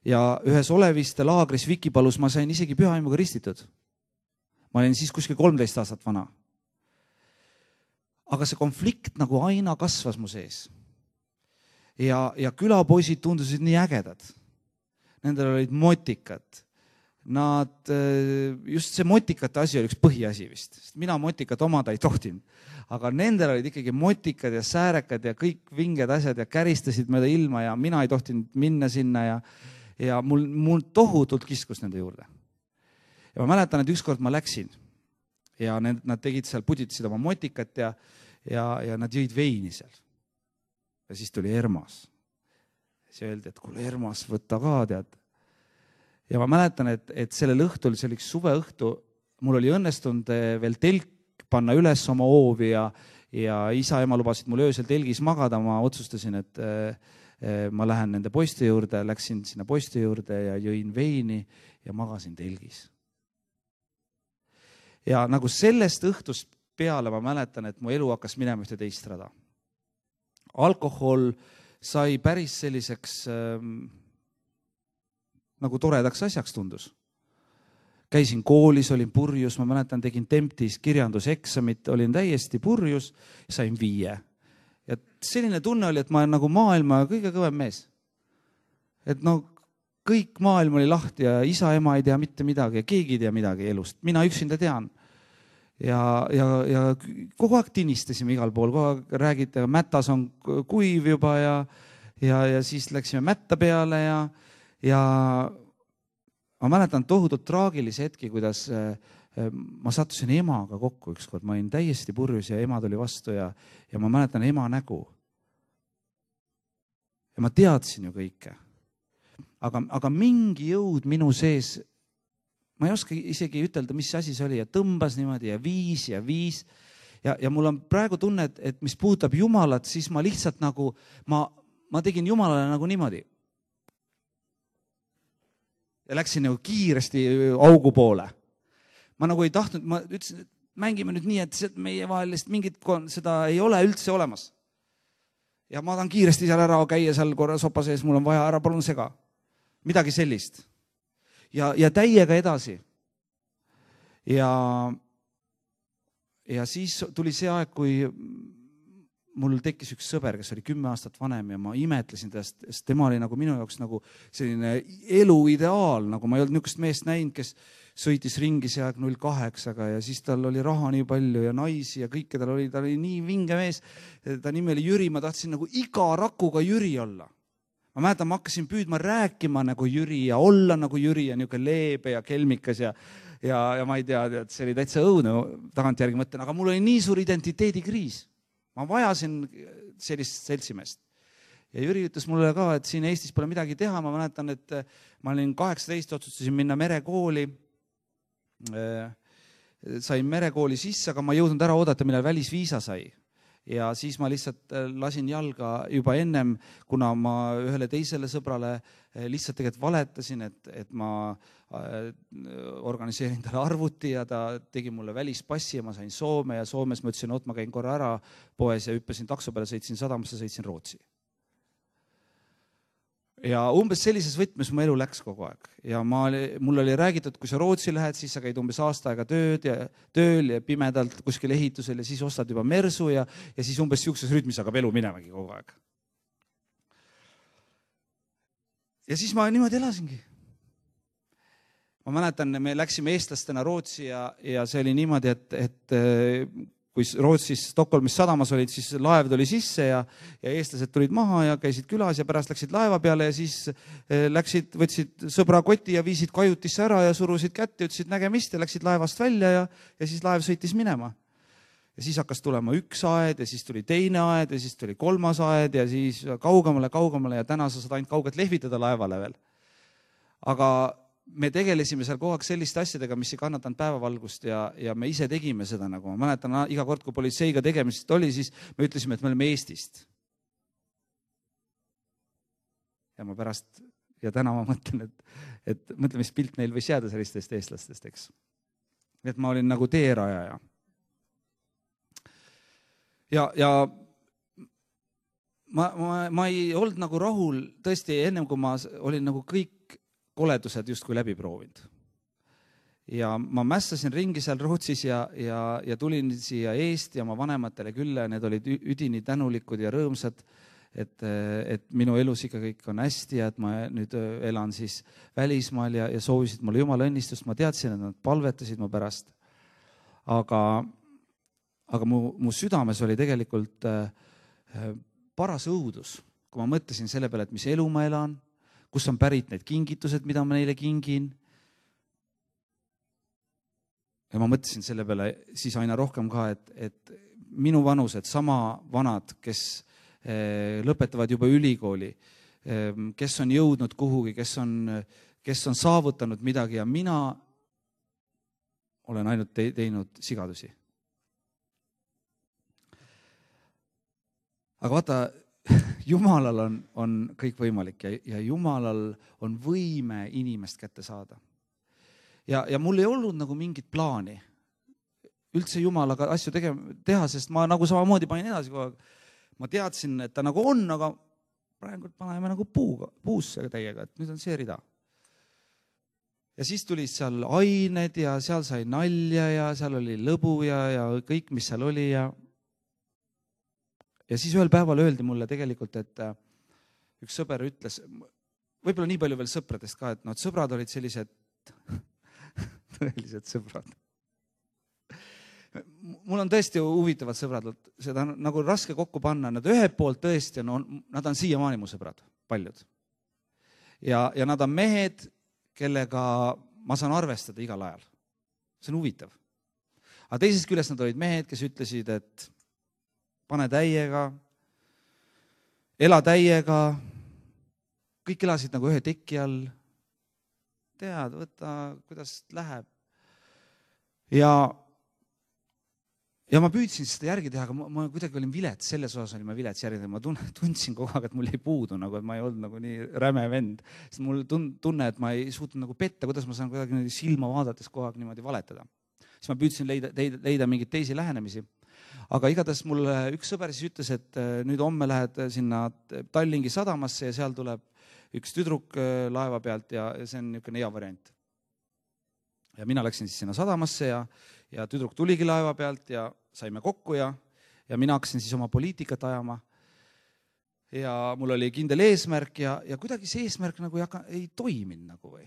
Ja ühes Oleviste laagris Vikipalus ma sain isegi pühavaimuga ristitud. Ma olin siis kuskil 13 aastat vana. Aga see konflikt nagu aina kasvas mu sees. Ja külapoisid tundusid nii ägedad. Nendel olid motikad. Just see motikate asi oli üks põhiasi vist. Sest mina motikat omada ei tohtinud. Aga nendel olid ikkagi motikad ja säärekad ja kõik vinged asjad ja käristasid mööda ilma ja mina ei tohtinud minna sinna ja mul tohutult kiskus nende juurde. Ja ma mäletan, et ükskord ma läksin ja nad tegid seal, puditasid oma motikat ja nad jõid veini seal. Ja siis tuli Ermas. Siis öeldi, et kuule Ermas, võtta ka, tead. Ja ma mäletan, et sellel õhtul, see oli üks suveõhtu, mul oli õnnestunud veel telk panna üles oma hoovi ja isa ja ema lubasid mul öösel telgis magada. Ma otsustasin, et ma lähen nende poiste juurde, läksin sinna poiste juurde ja jõin veini ja magasin telgis. Ja nagu sellest õhtust peale ma mäletan, et mu elu hakkas minema ühte teist rada. Alkohol sai päris selliseks nagu toredaks asjaks tundus. Käisin koolis, olin purjus, ma mäletan, tegin Temptis kirjanduseksamit, olin täiesti purjus, sain 5. Ja selline tunne oli, et ma olen nagu maailma kõige kõvem mees. Et kõik maailm oli lahti ja isa, ema ei tea mitte midagi ja keegi ei tea midagi elust. Mina üksinda tean. Ja kogu aeg tinistasime igal pool, kogu aeg räägite, mätas on kuiv juba ja siis läksime mätta peale ja ma mäletan tohutult traagilisi hetki, kuidas ma sattusin emaga kokku ükskord. Ma olin täiesti purjus ja ema tuli vastu ja ma mäletan ema nägu. Ja ma teadsin ju kõike. Aga mingi jõud minu sees, ma ei oska isegi ütelda, mis asi see oli ja tõmbas niimoodi ja viis. Ja mul on praegu tunne, et mis puudutab Jumalat, siis ma lihtsalt nagu, ma tegin Jumalale nagu niimoodi. Ja läksin nagu kiiresti augu poole. Ma nagu ei tahtnud, ma ütlesin, et mängime nüüd nii, et meie vahelist mingit seda ei ole üldse olemas. Ja ma tahan kiiresti seal ära käia seal korra sopa sees, mul on vaja ära, palun sega. Midagi sellist. Ja täiega edasi. Ja siis tuli see aeg, kui mul tekkis üks sõber, kes oli 10 aastat vanem ja ma imetlesin tast, sest tema oli nagu minu jaoks nagu selline elu ideaal, nagu ma ei olnud niisugust meest näinud, kes sõitis ringi see aeg 08-ga ja siis tal oli raha nii palju ja naisi ja kõike ta oli nii vinge mees. Ta nimi oli Jüri, ma tahtsin nagu iga rakuga Jüri olla. Ma mäletan, ma hakkasin püüdma rääkima nagu Jüri ja olla nagu Jüri ja niisugune leebe ja kelmikas ja ma ei tea, et see oli täitsa õudne tagantjärgi mõtlen, aga mul oli nii suur identiteedikriis. Ma vajasin sellist seltsimeest. Ja Jüri ütles mulle ka, et siin Eestis pole midagi teha. Ma mäletan, et ma olin 18, otsustasin minna merekooli. Sain merekooli sisse, aga ma ei jõudnud ära oodata, millal välisviisa sai. Ja siis ma lihtsalt lasin jalga juba ennem, kuna ma ühele teisele sõbrale lihtsalt tegelikult valetasin, et ma organiseerin talle arvuti ja ta tegi mulle välispassi ja ma sain Soome ja Soomes ma ütlesin, et ma käin korra ära poes ja hüppasin takso peale, sõitsin sadamasse, sõitsin Rootsi. Ja umbes sellises võtmes mu elu läks kogu aeg. Ja mul oli räägitud, kui sa Rootsi lähed, siis sa käid umbes aasta aega tööl ja pimedalt kuskil ehitusel ja siis ostad juba mersu ja siis umbes siukses rütmis hakkab elu minemagi kogu aeg. Ja siis ma niimoodi elasingi. Ma mäletan, me läksime eestlastena Rootsi ja see oli niimoodi, et kui Rootsis Stockholmis sadamas olid, siis laev tuli sisse ja eestlased tulid maha ja käisid külas ja pärast läksid laeva peale ja siis võtsid sõbra koti ja viisid kajutisse ära ja surusid kätte, ütlesid nägemist ja läksid laevast välja ja siis laev sõitis minema. Ja siis hakkas tulema üks aed ja siis tuli teine aed ja siis tuli kolmas aed ja siis kaugemale ja täna sa saad ainult kaugelt lehvitada laevale veel. Aga me tegelesime seal kogu aeg selliste asjadega, mis ei kannatanud päevavalgust ja me ise tegime seda nagu. Ma mäletan, iga kord, kui politseiga tegemist oli, siis me ütlesime, et me oleme Eestist. Ja täna ma mõtlen, et mõtle, mis pilt neil võis jääda sellistest eestlastest, eks. Et ma olin nagu teerajaja. Ja ma ei olnud nagu rahul tõesti ennem, kui ma olin nagu kõik koledused justkui läbi proovinud. Ja ma mässasin ringi seal Rootsis ja tulin siia Eesti oma vanematele külla ja need olid üdini tänulikud ja rõõmsad, et minu elus ikka kõik on hästi ja et ma nüüd elan siis välismaal ja soovisid mulle Jumala õnnistust. Ma teadsin, et nad palvetasid mu pärast. Aga mu südames oli tegelikult paras õudus, kui ma mõtlesin selle peale, et mis elu ma elan, kus on pärit need kingitused, mida ma neile kingin. Ja ma mõtlesin selle peale siis aina rohkem ka, et minu vanused, sama vanad, kes lõpetavad juba ülikooli, kes on jõudnud kuhugi, kes on saavutanud midagi ja mina olen ainult teinud sigadusi. Aga vaata, Jumalal on kõik võimalik ja Jumalal on võime inimest kätte saada. Ja mul ei olnud nagu mingit plaani üldse Jumalaga asju teha, sest ma nagu samamoodi panin edasi kogu aeg. Ma teadsin, et ta nagu on, aga praegu paneme nagu puusse täiega, et nüüd on see rida. Ja siis tulid seal ained ja seal sai nalja ja seal oli lõbu ja kõik, mis seal oli ja siis ühel päeval öeldi mulle tegelikult, et üks sõber ütles, võib-olla nii palju veel sõpradest ka, et sõbrad olid sellised tõelised sõbrad. Mul on tõesti huvitavad sõbrad, seda on nagu raske kokku panna. Nad ühelt poolt tõesti, nad on siiamaani mu sõbrad, paljud. Ja nad on mehed, kellega ma saan arvestada igal ajal. See on huvitav. Aga teisest küljest nad olid mehed, kes ütlesid, et pane täiega, ela täiega, kõik elasid nagu ühe teki all. Tead, võta, kuidas läheb. Ja ma püüdsin seda järgi teha, aga ma kuidagi olin vilets, selles osas olin ma vilets järgi. Ma tundsin kogu aeg, et mul ei puudu, et ma ei olnud nagu nii räme vend. Sest mul tunne, et ma ei suutnud nagu petta, kuidas ma saan kuidagi silma vaadates kogu aeg niimoodi valetada. Siis ma püüdsin leida mingeid teisi lähenemisi. Aga igatahes mul üks sõber siis ütles, et nüüd homme lähed sinna Tallingi sadamasse ja seal tuleb üks tüdruk laeva pealt ja see on niisugune hea variant. Ja mina läksin siis sinna sadamasse ja tüdruk tuligi laeva pealt ja saime kokku ja mina hakkasin siis oma poliitikat ajama. Ja mul oli kindel eesmärk ja kuidagi see eesmärk nagu ei toiminud nagu või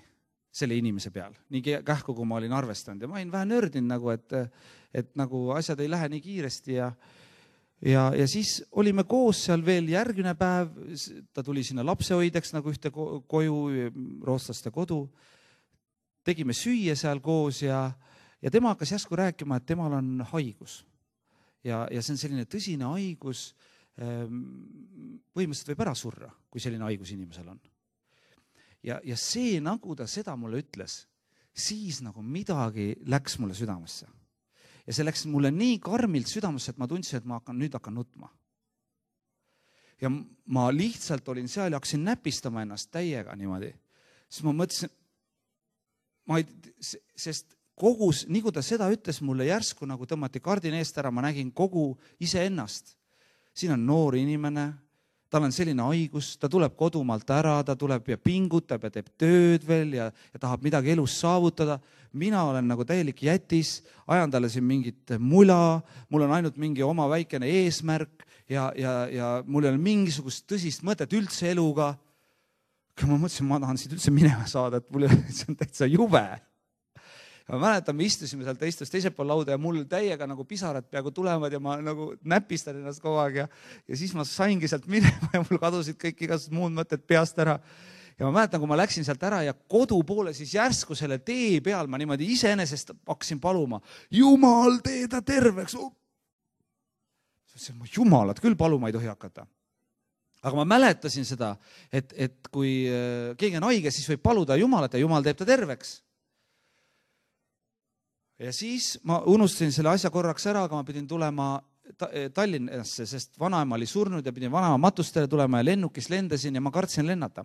selle inimese peal. Nii kähku, kui ma olin arvestanud ja ma olin vähe nördinud nagu, et nagu asjad ei lähe nii kiiresti ja siis olime koos seal veel järgmine päev. Ta tuli sinna lapsehoideks nagu ühte koju, rootslaste kodu. Tegime süüa seal koos ja tema hakkas järsku rääkima, et temal on haigus. Ja see on selline tõsine haigus, põhimõtteliselt võib ära surra, kui selline haigus inimesel on. Ja see, nagu ta seda mulle ütles, siis nagu midagi läks mulle südamesse. Ja see läks mulle nii karmilt südamesse, et ma tundsin, et ma nüüd hakkan nutma. Ja ma lihtsalt olin seal ja hakkasin näpistama ennast täiega niimoodi. Siis ma mõtlesin, sest kogus, nii kui ta seda ütles mulle järsku, nagu tõmmati kardin eest ära, ma nägin kogu iseennast. Siin on noor inimene, tal on selline haigus, ta tuleb kodumaalt ära, ta tuleb ja pingutab ja teeb tööd veel ja tahab midagi elus saavutada. Mina olen nagu täielik jätis, ajan talle siin mingit mula, mul on ainult mingi oma väikene eesmärk ja mul ei ole mingisugust tõsist mõtet üldse eluga. Ma mõtlesin, ma tahan siit üldse minema saada, et mulle see on täitsa jube. Ja ma mäletan, me istusime seal teisel pool lauda ja mul täiega nagu pisarad peaaegu tulevad ja ma nagu näpistan ennast kogu aeg ja siis ma saingi sealt minema ja mul kadusid kõik igasugused muud mõtted peast ära. Ja ma mäletan, kui ma läksin sealt ära ja kodu poole, siis järsku selle tee peal ma niimoodi iseenesest hakkasin paluma, Jumal, tee ta terveks. Ma Jumalat küll paluma ei tohi hakata. Aga ma mäletasin seda, et kui keegi on haige, siis võib paluda Jumalat ja Jumal teeb ta terveks. Ja siis ma unustasin selle asja korraks ära, aga ma pidin tulema Tallinnasse, sest vanaema oli surnud ja pidin vanaema matustele tulema ja lennukis lendasin ja ma kartsin lennata.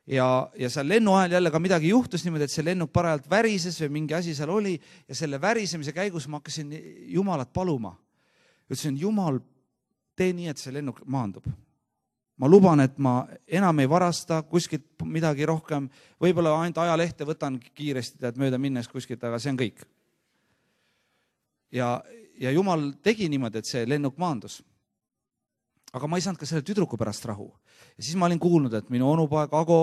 Ja seal lennu ajal jälle ka midagi juhtus niimoodi, et see lennuk parajalt värises või mingi asi seal oli ja selle värisemise käigus ma hakkasin Jumalat paluma. Ütlesin, Jumal, tee nii, et see lennuk maandub. Ma luban, et ma enam ei varasta kuskilt midagi rohkem, võib-olla ainult ajalehte võtan kiiresti, et mööda minnes kuskilt, aga see on kõik. Ja Jumal tegi niimoodi, et see lennuk maandus. Aga ma ei saanud ka selle tüdruku pärast rahu. Ja siis ma olin kuulnud, et minu onupoeg Ago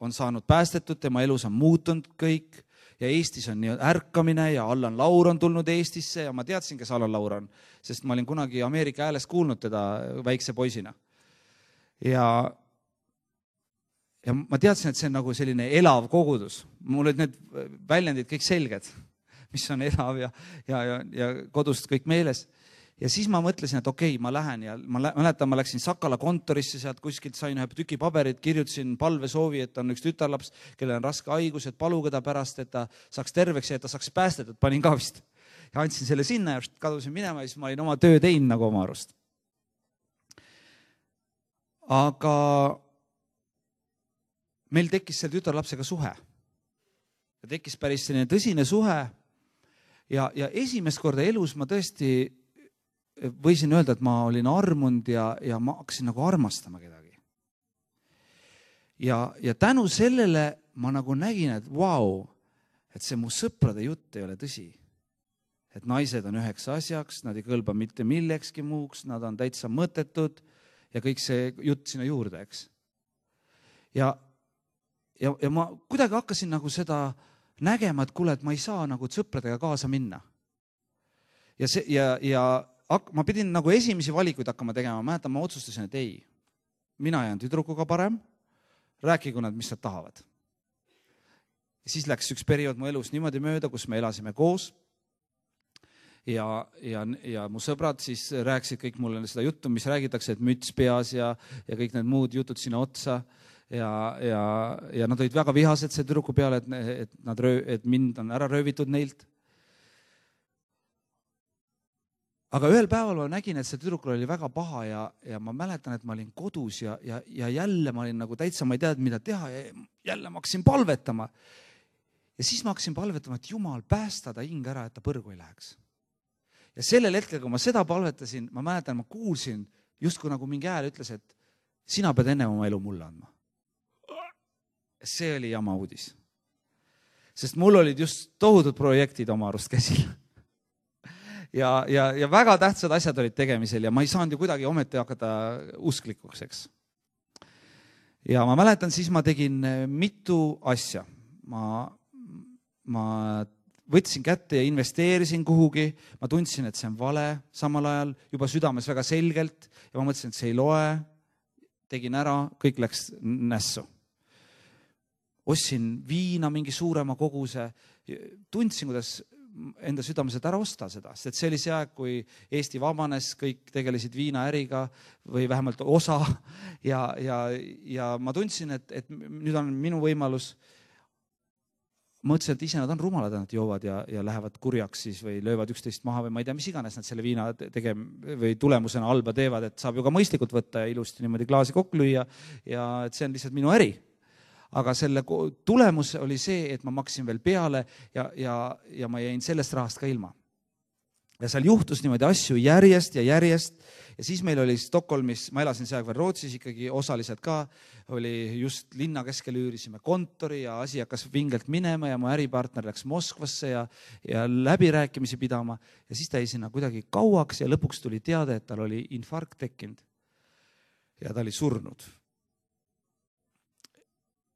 on saanud päästetud, tema elus on muutunud kõik ja Eestis on nii ärkamine ja Allan Laur on tulnud Eestisse ja ma teadsin, kes Allan Laur on, sest ma olin kunagi Ameerika Hääles kuulnud teda väikse poisina. Ja ma teadsin, et see on nagu selline elav kogudus. Mul olid need väljendid kõik selged, mis on elav ja kodust kõik meeles. Ja siis ma mõtlesin, et okei, ma lähen ja ma mäletan, ma läksin Sakala kontorisse, sealt kuskilt sain ühe tüki paberit, kirjutasin palvesoovi, et on üks tütarlaps, kellel on raske haigus, et paluge ta pärast, et ta saaks terveks ja et ta saaks päästetud, panin ka vist. Ja andsin selle sinna ja kadusin minema ja siis ma olin oma töö teinud nagu oma arust. Aga meil tekkis selle tütarlapsega suhe. Ja tekkis päris selline tõsine suhe ja esimest korda elus ma tõesti võisin öelda, et ma olin armunud ja ma hakkasin nagu armastama kedagi. Ja tänu sellele ma nagu nägin, et vau, et see mu sõprade jutt ei ole tõsi. Et naised on üheks asjaks, nad ei kõlba mitte millekski muuks, nad on täitsa mõttetud ja kõik see jutt sinna juurde, eks. Ja ma kuidagi hakkasin nagu seda nägema, et kuule, et ma ei saa nagu sõpradega kaasa minna. Ja ma pidin nagu esimesi valikuid hakkama tegema, mäletan, ma otsustasin, et ei, mina jään tüdrukuga parem, rääkigu nad, mis nad tahavad. Ja siis läks üks periood mu elus niimoodi mööda, kus me elasime koos ja mu sõbrad siis rääkisid kõik mulle seda juttu, mis räägitakse, et müts peas ja kõik need muud jutud sinna otsa ja nad olid väga vihased see tüdruku peale, et mind on ära röövitud neilt. Aga ühel päeval ma nägin, et see tüdrukul oli väga paha ja ma mäletan, et ma olin kodus ja jälle ma olin nagu täitsa, ma ei teadnud, mida teha ja jälle ma hakkasin palvetama. Ja siis ma hakkasin palvetama, et Jumal päästa ta hing ära, et ta põrgu ei läheks. Ja sellel hetkel, kui ma seda palvetasin, ma mäletan, ma kuulsin justkui nagu mingi hääl ütles, et sina pead enne oma elu mulle andma. See oli jama uudis. Sest mul olid just tohutud projektid oma arust käsil. Ja väga tähtsad asjad olid tegemisel ja ma ei saanud ju kuidagi ometi hakata usklikuks, eks. Ja ma mäletan, siis ma tegin mitu asja. Ma võtsin kätte ja investeerisin kuhugi, ma tundsin, et see on vale, samal ajal juba südames väga selgelt ja ma mõtlesin, et see ei loe, tegin ära, kõik läks nässu. Ostsin viina mingi suurema koguse, tundsin, kuidas enda südames, et ära osta seda, sest see oli see aeg, kui Eesti vabanes, kõik tegelesid viinaäriga või vähemalt osa ja ma tundsin, et nüüd on minu võimalus. Mõtlesin, et ise nad on rumalad, nad joovad ja lähevad kurjaks siis või löövad üksteist maha või ma ei tea, mis iganes nad selle viina või tulemusena halba teevad, et saab ju ka mõistlikult võtta ja ilusti niimoodi klaasi kokku lüüa ja et see on lihtsalt minu äri. Aga selle tulemus oli see, et ma maksin veel peale ja ma jäin sellest rahast ka ilma. Ja seal juhtus niimoodi asju järjest ja siis meil oli Stockholmis, ma elasin see aeg veel Rootsis ikkagi osaliselt ka, oli just linna keskel üürisime kontori ja asi hakkas vingelt minema ja mu äripartner läks Moskvasse ja läbirääkimisi pidama ja siis ta jäi sinna kuidagi kauaks ja lõpuks tuli teade, et tal oli infarkt tekkinud ja ta oli surnud.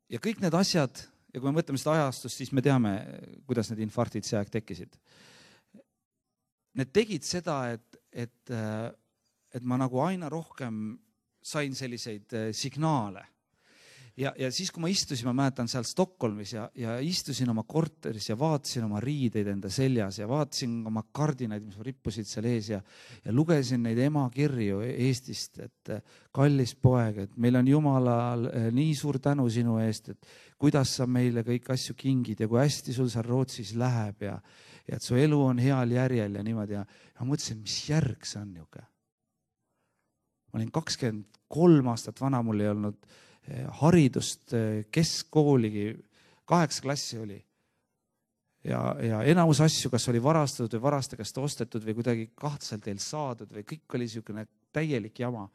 Ja kõik need asjad ja kui me mõtleme seda ajastust, siis me teame, kuidas need infarktid see aeg tekkisid. Need tegid seda, et ma nagu aina rohkem sain selliseid signaale. Ja siis, kui ma istusin, ma mäletan seal Stockholmis ja istusin oma korteris ja vaatasin oma riideid enda seljas ja vaatasin oma kardinaid, mis rippusid seal ees ja lugesin neid ema kirju Eestist, et kallis poeg, et meil on Jumalal nii suur tänu sinu eest, et kuidas sa meile kõik asju kingid ja kui hästi sul seal Rootsis läheb ja et su elu on heal järjel ja niimoodi. Ja ma mõtlesin, mis järg see on niuke. Ma olin 23 aastat vana, mul ei olnud haridust, keskkooligi, 8 klassi oli. Ja enamus asju, kas oli varastatud või varaste käest ostetud või kuidagi kahtlaselt teil saadud või kõik oli niisugune täielik jama.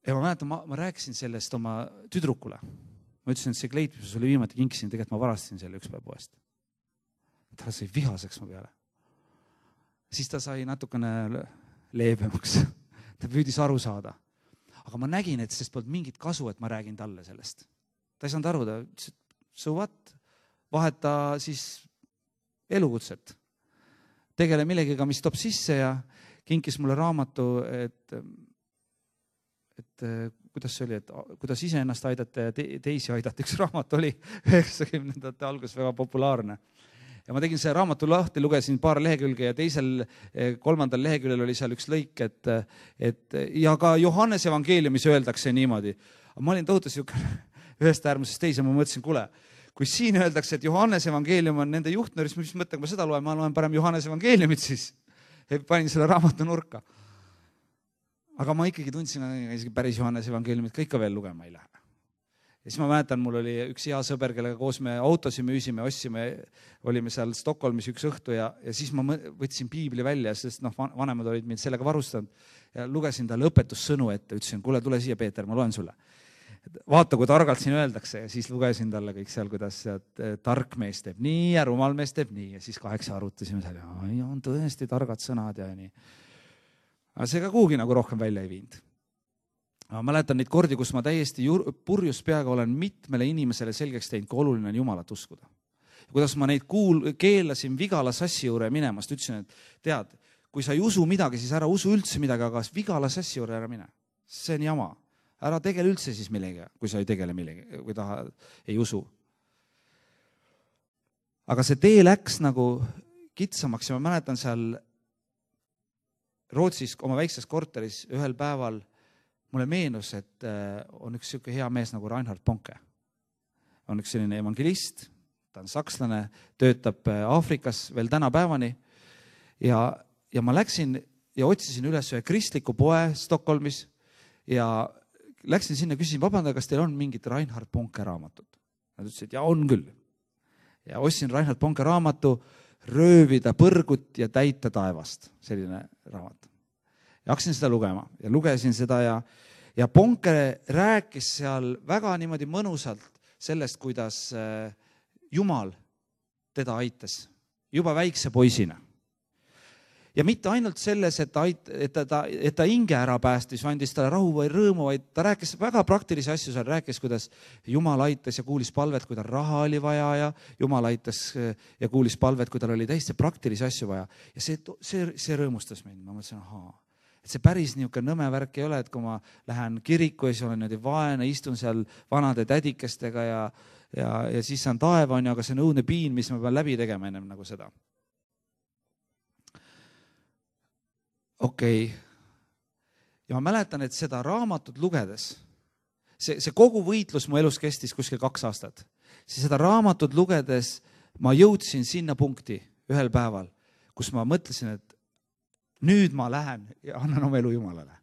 Ja ma mäletan, ma rääkisin sellest oma tüdrukule. Ma ütlesin, et see kleit, mis sulle viimati kinkisin, tegelikult ma varastasin selle üks päev poest. Ta sai vihaseks mu peale. Siis ta sai natukene leebemaks. Ta püüdis aru saada. Aga ma nägin, et sest polnud mingit kasu, et ma räägin talle sellest. Ta ei saanud aru, ta ütles, et so what? Vaheta siis elukutset. Tegele millegiga, mis toob sisse ja kinkis mulle raamatu, et kuidas see oli, et kuidas iseennast aidata ja teisi aidata. Üks raamat oli 90ndate algus väga populaarne. Ja ma tegin see raamatu lahti, lugesin paar lehekülge ja teisel, 3. leheküljel oli seal üks lõik, et ja ka Johannes evangeeliumis öeldakse niimoodi. Ma olin tohutu ühest äärmusest teise, ma mõtlesin, kuule, kui siin öeldakse, et Johannes evangeelium on nende juhtnööris, mis mõttega ma seda loen, ma loen parem Johannes evangeeliumit siis. Panin selle raamatu nurka. Aga ma ikkagi tundsin, isegi päris Johannes evangeeliumit ka ikka veel lugema ei lähe. Ja siis ma mäletan, mul oli üks hea sõber, kellega koos me autosi müüsime, ostsime, olime seal Stockholmis üks õhtu ja siis ma võtsin piibli välja, sest vanemad olid mind sellega varustanud ja lugesin talle õpetussõnu ette, ütlesin, kuule, tule siia, Peeter, ma loen sulle. Vaata, kui targalt siin öeldakse ja siis lugesin talle kõik seal, kuidas tark mees teeb nii ja rumal mees teeb nii ja siis 8 arutasime seal ja on tõesti targad sõnad ja nii. Aga see ka kuhugi nagu rohkem välja ei viinud. Ma mäletan neid kordi, kus ma täiesti purjus peaga olen mitmele inimesele selgeks teinud, kui oluline on Jumalat uskuda. Kuidas ma neid keelasin Vigala sassi juurde minemast, ütlesin, et tead, kui sa ei usu midagi, siis ära usu üldse midagi, aga Vigala sassi juurde ära mine. See on jama. Ära tegele üldse siis millegi, kui sa ei tegele millegi, kui ta ei usu. Aga see tee läks nagu kitsamaks ja ma mäletan seal Rootsis oma väikses korteris ühel päeval mulle meenus, et on üks siuke hea mees nagu Reinhard Bonke. On üks selline evangelist, ta on sakslane, töötab Aafrikas veel tänapäevani ja ma läksin ja otsisin üles ühe kristliku poe Stockholmis ja läksin sinna, küsisin, vabanda, kas teil on mingit Reinhard Bonke raamatut? Nad ütlesid, ja on küll. Ja ostsin Reinhard Bonke raamatu Röövida põrgut ja täita taevast, selline raamat. Ja hakkasin seda lugema ja lugesin seda ja Bonke rääkis seal väga niimoodi mõnusalt sellest, kuidas Jumal teda aitas juba väikse poisina. Ja mitte ainult selles, et ta hinge ära päästis, andis talle rahu või rõõmu, vaid ta rääkis väga praktilisi asju, seal rääkis, kuidas Jumal aitas ja kuulis palvet, kui tal raha oli vaja ja Jumal aitas ja kuulis palvet, kui tal oli täiesti praktilisi asju vaja. Ja see rõõmustas mind. Ma mõtlesin, et see päris niisugune nõme värk ei ole, et kui ma lähen kiriku ja siis olen niimoodi vaene, istun seal vanade tädikestega ja siis on taeva, aga see on õudne piin, mis ma pean läbi tegema ennem nagu seda. Okei. Ja ma mäletan, et seda raamatut lugedes, see kogu võitlus mu elus kestis kuskil 2 aastat, siis seda raamatut lugedes ma jõudsin sinna punkti ühel päeval, kus ma mõtlesin, et nüüd ma lähen ja annan oma elu Jumalale.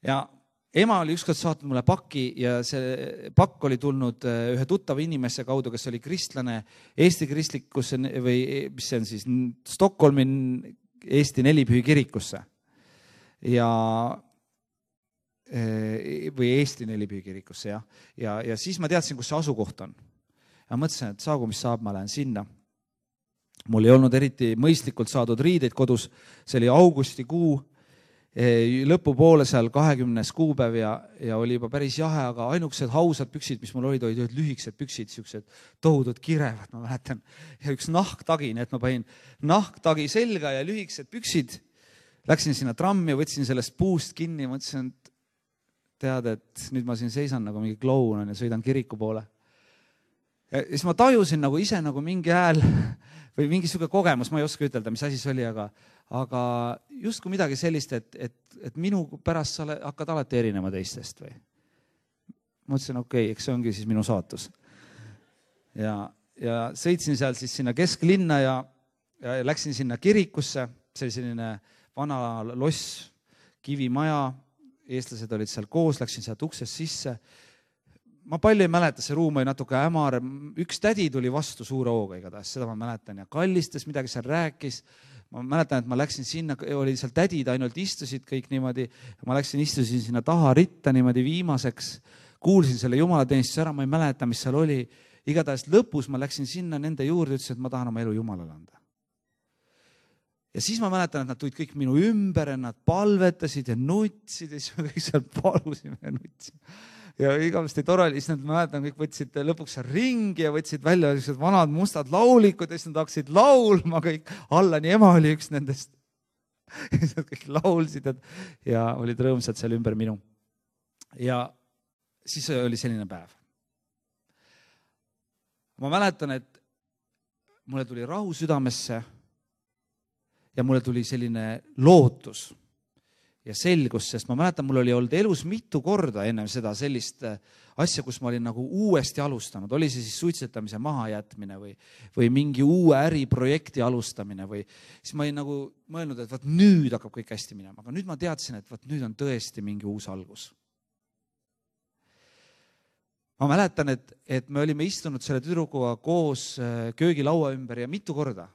Ja ema oli ükskord saatnud mulle pakki ja see pakk oli tulnud ühe tuttava inimese kaudu, kes oli kristlane Eesti kristlikus või mis see on siis Stockholmi Eesti Nelipühi kirikusse või Eesti Nelipühi kirikusse ja siis ma teadsin, kus see asukoht on. Ja mõtlesin, et saagu, mis saab, ma lähen sinna. Mul ei olnud eriti mõistlikult saadud riideid kodus, see oli augustikuu lõpupoole seal 20. kuupäev ja oli juba päris jahe, aga ainukesed hausad püksid, mis mul olid lühikesed püksid, siuksed tohudud kirevad, ma mäletan, ja üks nahktagi, nii et ma panin nahktagi selga ja lühikesed püksid. Läksin sinna trammi, võtsin sellest puust kinni, mõtlesin, et tead, et nüüd ma siin seisan nagu mingi kloun ja sõidan kiriku poole. Ja siis ma tajusin nagu ise nagu mingi hääl või mingi siuke kogemus, ma ei oska ütelda, mis asi see oli, aga justkui midagi sellist, et minu pärast sa hakkad alati erinema teistest või. Ma mõtlesin, okei, eks see ongi siis minu saatus. Ja sõitsin seal siis sinna kesklinna ja läksin sinna kirikusse, see oli selline vana loss, kivimaja, eestlased olid seal koos, läksin sealt uksest sisse. Ma palju ei mäleta, see ruum oli natuke hämar, üks tädi tuli vastu suure hooga igatahes, seda ma mäletan ja kallistas midagi seal rääkis. Ma mäletan, et ma läksin sinna, oli seal tädid ainult istusid kõik niimoodi, ma istusin sinna taha ritta niimoodi viimaseks, kuulsin selle jumalateenistuse ära, ma ei mäleta, mis seal oli. Igatahes lõpus ma läksin sinna nende juurde, ütlesin, et ma tahan oma elu Jumalale anda. Ja siis ma mäletan, et nad tulid kõik minu ümber ja nad palvetasid ja nutsid ja siis me kõik seal palusime ja nutsime. Ja igavesti tore oli, siis nad mäletan, kõik võtsid lõpuks ringi ja võtsid välja vanad mustad laulikud ja siis nad hakkasid laulma kõik. Allani ema oli üks nendest. Ja siis nad kõik laulsid ja olid rõõmsad seal ümber minu. Ja siis oli selline päev. Ma mäletan, et mulle tuli rahu südamesse ja mulle tuli selline lootus ja selgus, sest ma mäletan, mul oli olnud elus mitu korda ennem seda sellist asja, kus ma olin nagu uuesti alustanud. Oli see siis suitsetamise mahajätmine või mingi uue äriprojekti alustamine või siis ma olin nagu mõelnud, et vaat nüüd hakkab kõik hästi minema. Aga nüüd ma teadsin, et vaat nüüd on tõesti mingi uus algus. Ma mäletan, et me olime istunud selle tüdrukuga koos köögilaua ümber ja mitu korda.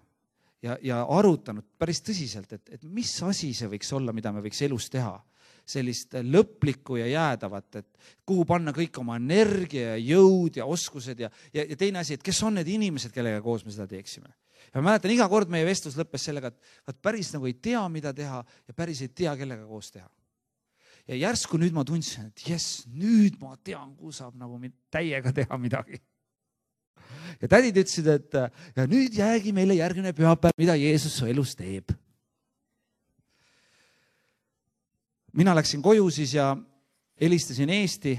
Ja arutanud päris tõsiselt, et mis asi see võiks olla, mida me võiks elus teha. Sellist lõplikku ja jäädavat, et kuhu panna kõik oma energia ja jõud ja oskused ja teine asi, et kes on need inimesed, kellega koos me seda teeksime. Ja ma mäletan, iga kord meie vestlus lõppes sellega, et päris nagu ei tea, mida teha ja päris ei tea, kellega koos teha. Ja järsku nüüd ma tundsin, et nüüd ma tean, kuhu saab nagu täiega teha midagi. Ja tädid ütlesid, et ja nüüd jäägi meile järgmine pühapäev, mida Jeesus su elus teeb. Mina läksin koju siis ja helistasin Eesti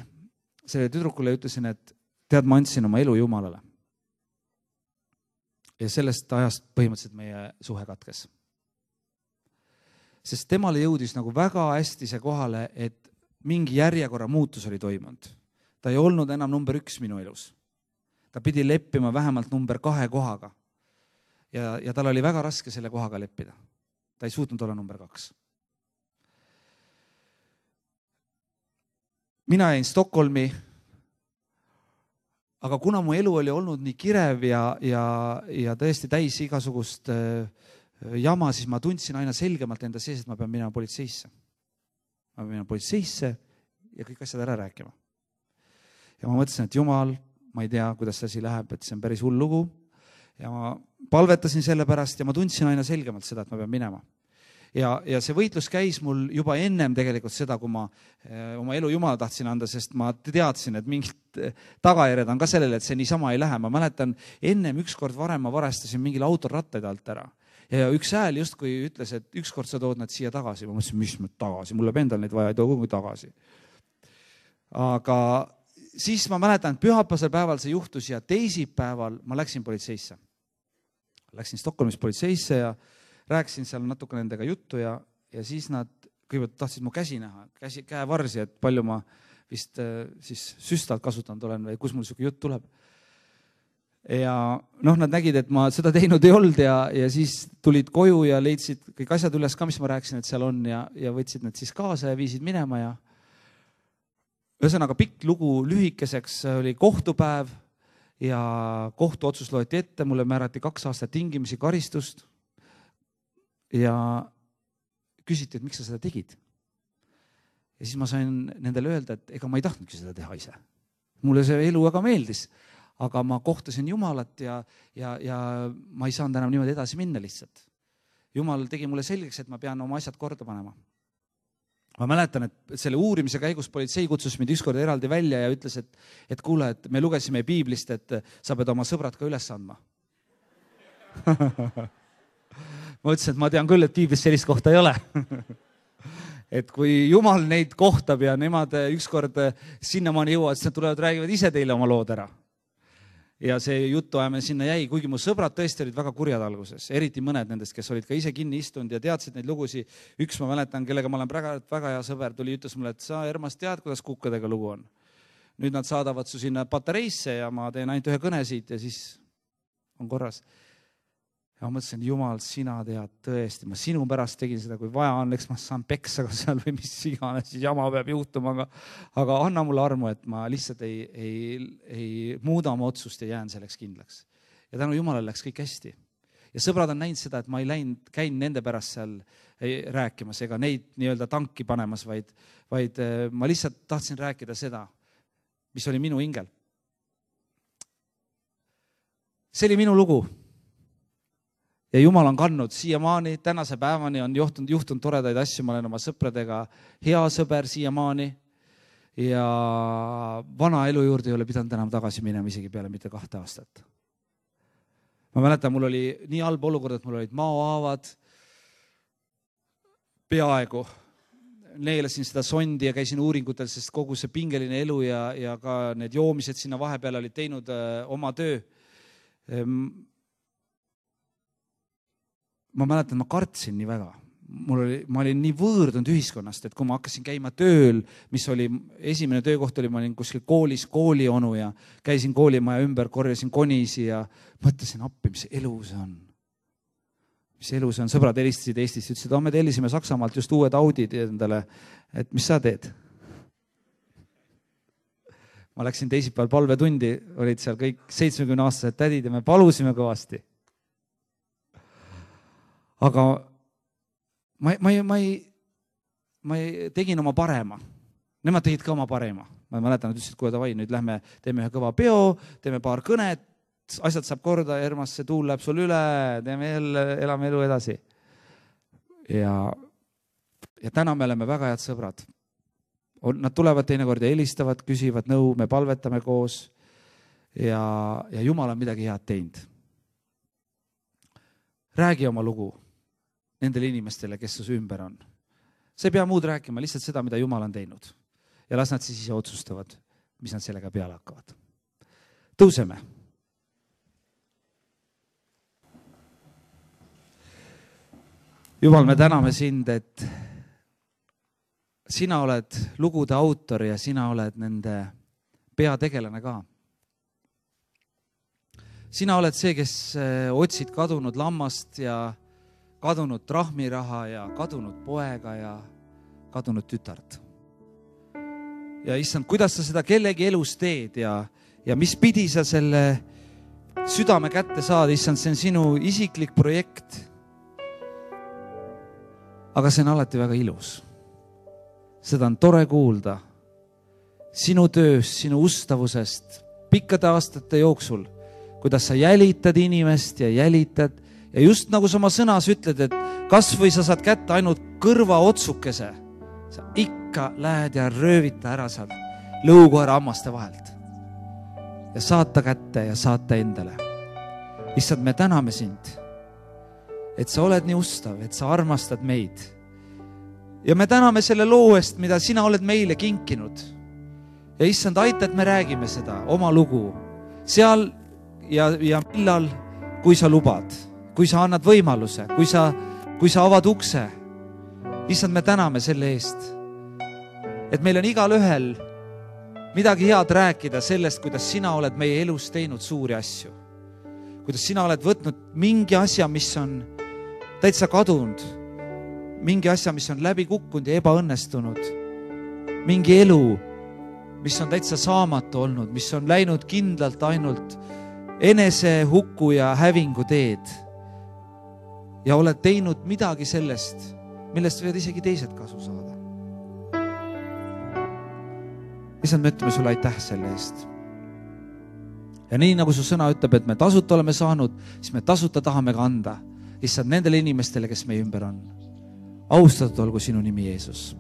selle tüdrukule ja ütlesin, et tead, ma andsin oma elu Jumalale. Ja sellest ajast põhimõtteliselt meie suhe katkes. Sest temale jõudis nagu väga hästi see kohale, et mingi järjekorra muutus oli toimunud. Ta ei olnud enam number 1 minu elus. Ta pidi leppima vähemalt number 2 kohaga. Ja tal oli väga raske selle kohaga leppida. Ta ei suutnud olla number 2. Mina jäin Stockholmi, aga kuna mu elu oli olnud nii kirev ja tõesti täis igasugust jama, siis ma tundsin aina selgemalt enda sees, et ma pean minema politseisse. Ma pean minema politseisse ja kõik asjad ära rääkima. Ja ma mõtlesin, et Jumal, ma ei tea, kuidas see asi läheb, et see on päris hull lugu. Ja ma palvetasin selle pärast ja ma tundsin aina selgemalt seda, et ma pean minema. Ja see võitlus käis mul juba ennem tegelikult seda, kui ma oma elu Jumala tahtsin anda, sest ma teadsin, et mingid tagajärjed on ka sellele, et see niisama ei lähe. Ma mäletan, ennem ükskord varem ma varestasin mingil autor rattaid alt ära. Ja üks hääl justkui ütles, et ükskord sa tood nad siia tagasi. Ma mõtlesin, mis me tagasi, mulle endal neid vaja ei too kogu tagasi. Aga siis ma mäletan, et pühapäevasel päeval see juhtus ja teisipäeval ma läksin politseisse. Läksin Stockholmis politseisse ja rääkisin seal natuke nendega juttu ja siis nad kõigepealt tahtsid mu käsi näha, käevarsi, et palju ma vist siis süstalt kasutanud olen või kus mul selline jutt tuleb. Ja nad nägid, et ma seda teinud ei olnud ja siis tulid koju ja leidsid kõik asjad üles ka, mis ma rääkisin, et seal on ja võtsid need siis kaasa ja viisid minema ja ühesõnaga pikk lugu lühikeseks oli kohtupäev ja kohtuotsus loeti ette, mulle määrati 2 aastat tingimisi karistust ja küsiti, et miks sa seda tegid. Ja siis ma sain nendele öelda, et ega ma ei tahtnudki seda teha ise. Mulle see elu väga meeldis, aga ma kohtasin Jumalat ja ma ei saanud enam niimoodi edasi minna lihtsalt. Jumal tegi mulle selgeks, et ma pean oma asjad korda panema. ma mäletan, et selle uurimise käigus politsei kutsus mind ükskord eraldi välja ja ütles, et kuule, et me lugesime piiblist, et sa pead oma sõbrad ka üles andma. Ma ütlesin, et ma tean küll, et piiblis sellist kohta ei ole. Et kui Jumal neid kohtab ja nemad ükskord sinnamaani jõuavad, siis nad tulevad, räägivad ise teile oma lood ära. Ja see jutuajamine sinna jäi, kuigi mu sõbrad tõesti olid väga kurjad alguses, eriti mõned nendest, kes olid ka ise kinni istunud ja teadsid neid lugusid. Üks ma mäletan, kellega ma olen väga hea sõber, tuli ütles mulle, et sa, Ermas, tead, kuidas kukkadega lugu on. Nüüd nad saadavad su sinna patareisse ja ma teen ainult ühe kõne siit ja siis on korras. Ja ma mõtlesin, Jumal, sina tead tõesti, ma sinu pärast tegin seda, kui vaja on, eks ma saan peksa ka seal või mis iganes, siis jama peab juhtuma, aga anna mulle armu, et ma lihtsalt ei muuda oma otsust ja jään selleks kindlaks. Ja tänu Jumalale läks kõik hästi. Ja sõbrad on näinud seda, et ma ei käin nende pärast seal rääkimas ega neid nii-öelda tanki panemas, vaid ma lihtsalt tahtsin rääkida seda, mis oli minu hingel. See oli minu lugu. Ja Jumal on kandnud siiamaani, tänase päevani on juhtunud toredaid asju, ma olen oma sõpradega hea sõber siiamaani ja vana elu juurde ei ole pidanud enam tagasi minema isegi peale mitte 2 aastat. Ma mäletan, mul oli nii halb olukord, et mul olid maohaavad peaaegu. Neelasin seda sondi ja käisin uuringutel, sest kogu see pingeline elu ja ka need joomised sinna vahepeal olid teinud oma töö. Ma mäletan, ma kartsin nii väga. Ma olin nii võõrdunud ühiskonnast, et kui ma hakkasin käima tööl, mis oli esimene töökoht oli, ma olin kuskil koolis koolionu ja käisin koolimaja ümber, korjasin konisi ja mõtlesin appi, mis elu see on. Mis elu see on? Sõbrad helistasid Eestist, ütlesid, me tellisime Saksamaalt just uued Audid endale, et mis sa teed? Ma läksin teisipäeval palvetundi, olid seal kõik 70-aastased tädid ja me palusime kõvasti. Aga ma tegin oma parema. Nemad tegid ka oma parema. Ma mäletan, et ütlesid, kui davai, nüüd lähme, teeme ühe kõva peo, teeme paar kõnet, asjad saab korda, Ermas, see tuul läheb sul üle, teeme jälle, elame elu edasi. Ja täna me oleme väga head sõbrad. Nad tulevad teinekord ja helistavad, küsivad nõu, me palvetame koos ja Jumal on midagi head teinud. Räägi oma lugu nendele inimestele, kes su ümber on. Sa ei pea muud rääkima, lihtsalt seda, mida Jumal on teinud. Ja las nad siis ise otsustavad, mis nad sellega peale hakkavad. Tõuseme. Jumal, me täname sind, et sina oled lugude autor ja sina oled nende peategelane ka. Sina oled see, kes otsid kadunud lammast ja kadunud trahmiraha ja kadunud poega ja kadunud tütart. Ja issand, kuidas sa seda kellegi elus teed ja mis pidi sa selle südame kätte saad, issand, see on sinu isiklik projekt. Aga see on alati väga ilus. Seda on tore kuulda sinu tööst, sinu ustavusest pikkade aastate jooksul, kuidas sa jälitad inimest ja jälitad ja just nagu sa oma sõnas ütled, et kas või sa saad kätte ainult kõrva otsukese, sa ikka lähed ja röövita ära sealt lõukoera hammaste vahelt ja saata kätte ja saata endale. Issand, me täname sind, et sa oled nii ustav, et sa armastad meid. Ja me täname selle loo eest, mida sina oled meile kinkinud. Ja issand, aita, et me räägime seda, oma lugu, seal ja millal, kui sa lubad, kui sa annad võimaluse, kui sa avad ukse. Issand, me täname selle eest, et meil on igal ühel midagi head rääkida sellest, kuidas sina oled meie elus teinud suuri asju. Kuidas sina oled võtnud mingi asja, mis on täitsa kadunud, mingi asja, mis on läbi kukkunud ja ebaõnnestunud, mingi elu, mis on täitsa saamatu olnud, mis on läinud kindlalt ainult enese hukku ja hävingu teed ja oled teinud midagi sellest, millest võivad isegi teised kasu saada. Issand, me ütleme sulle aitäh selle eest. Ja nii nagu su sõna ütleb, et me tasuta oleme saanud, siis me tasuta tahame ka anda. Issand, nendele inimestele, kes meie ümber on. Austatud olgu sinu nimi, Jeesus.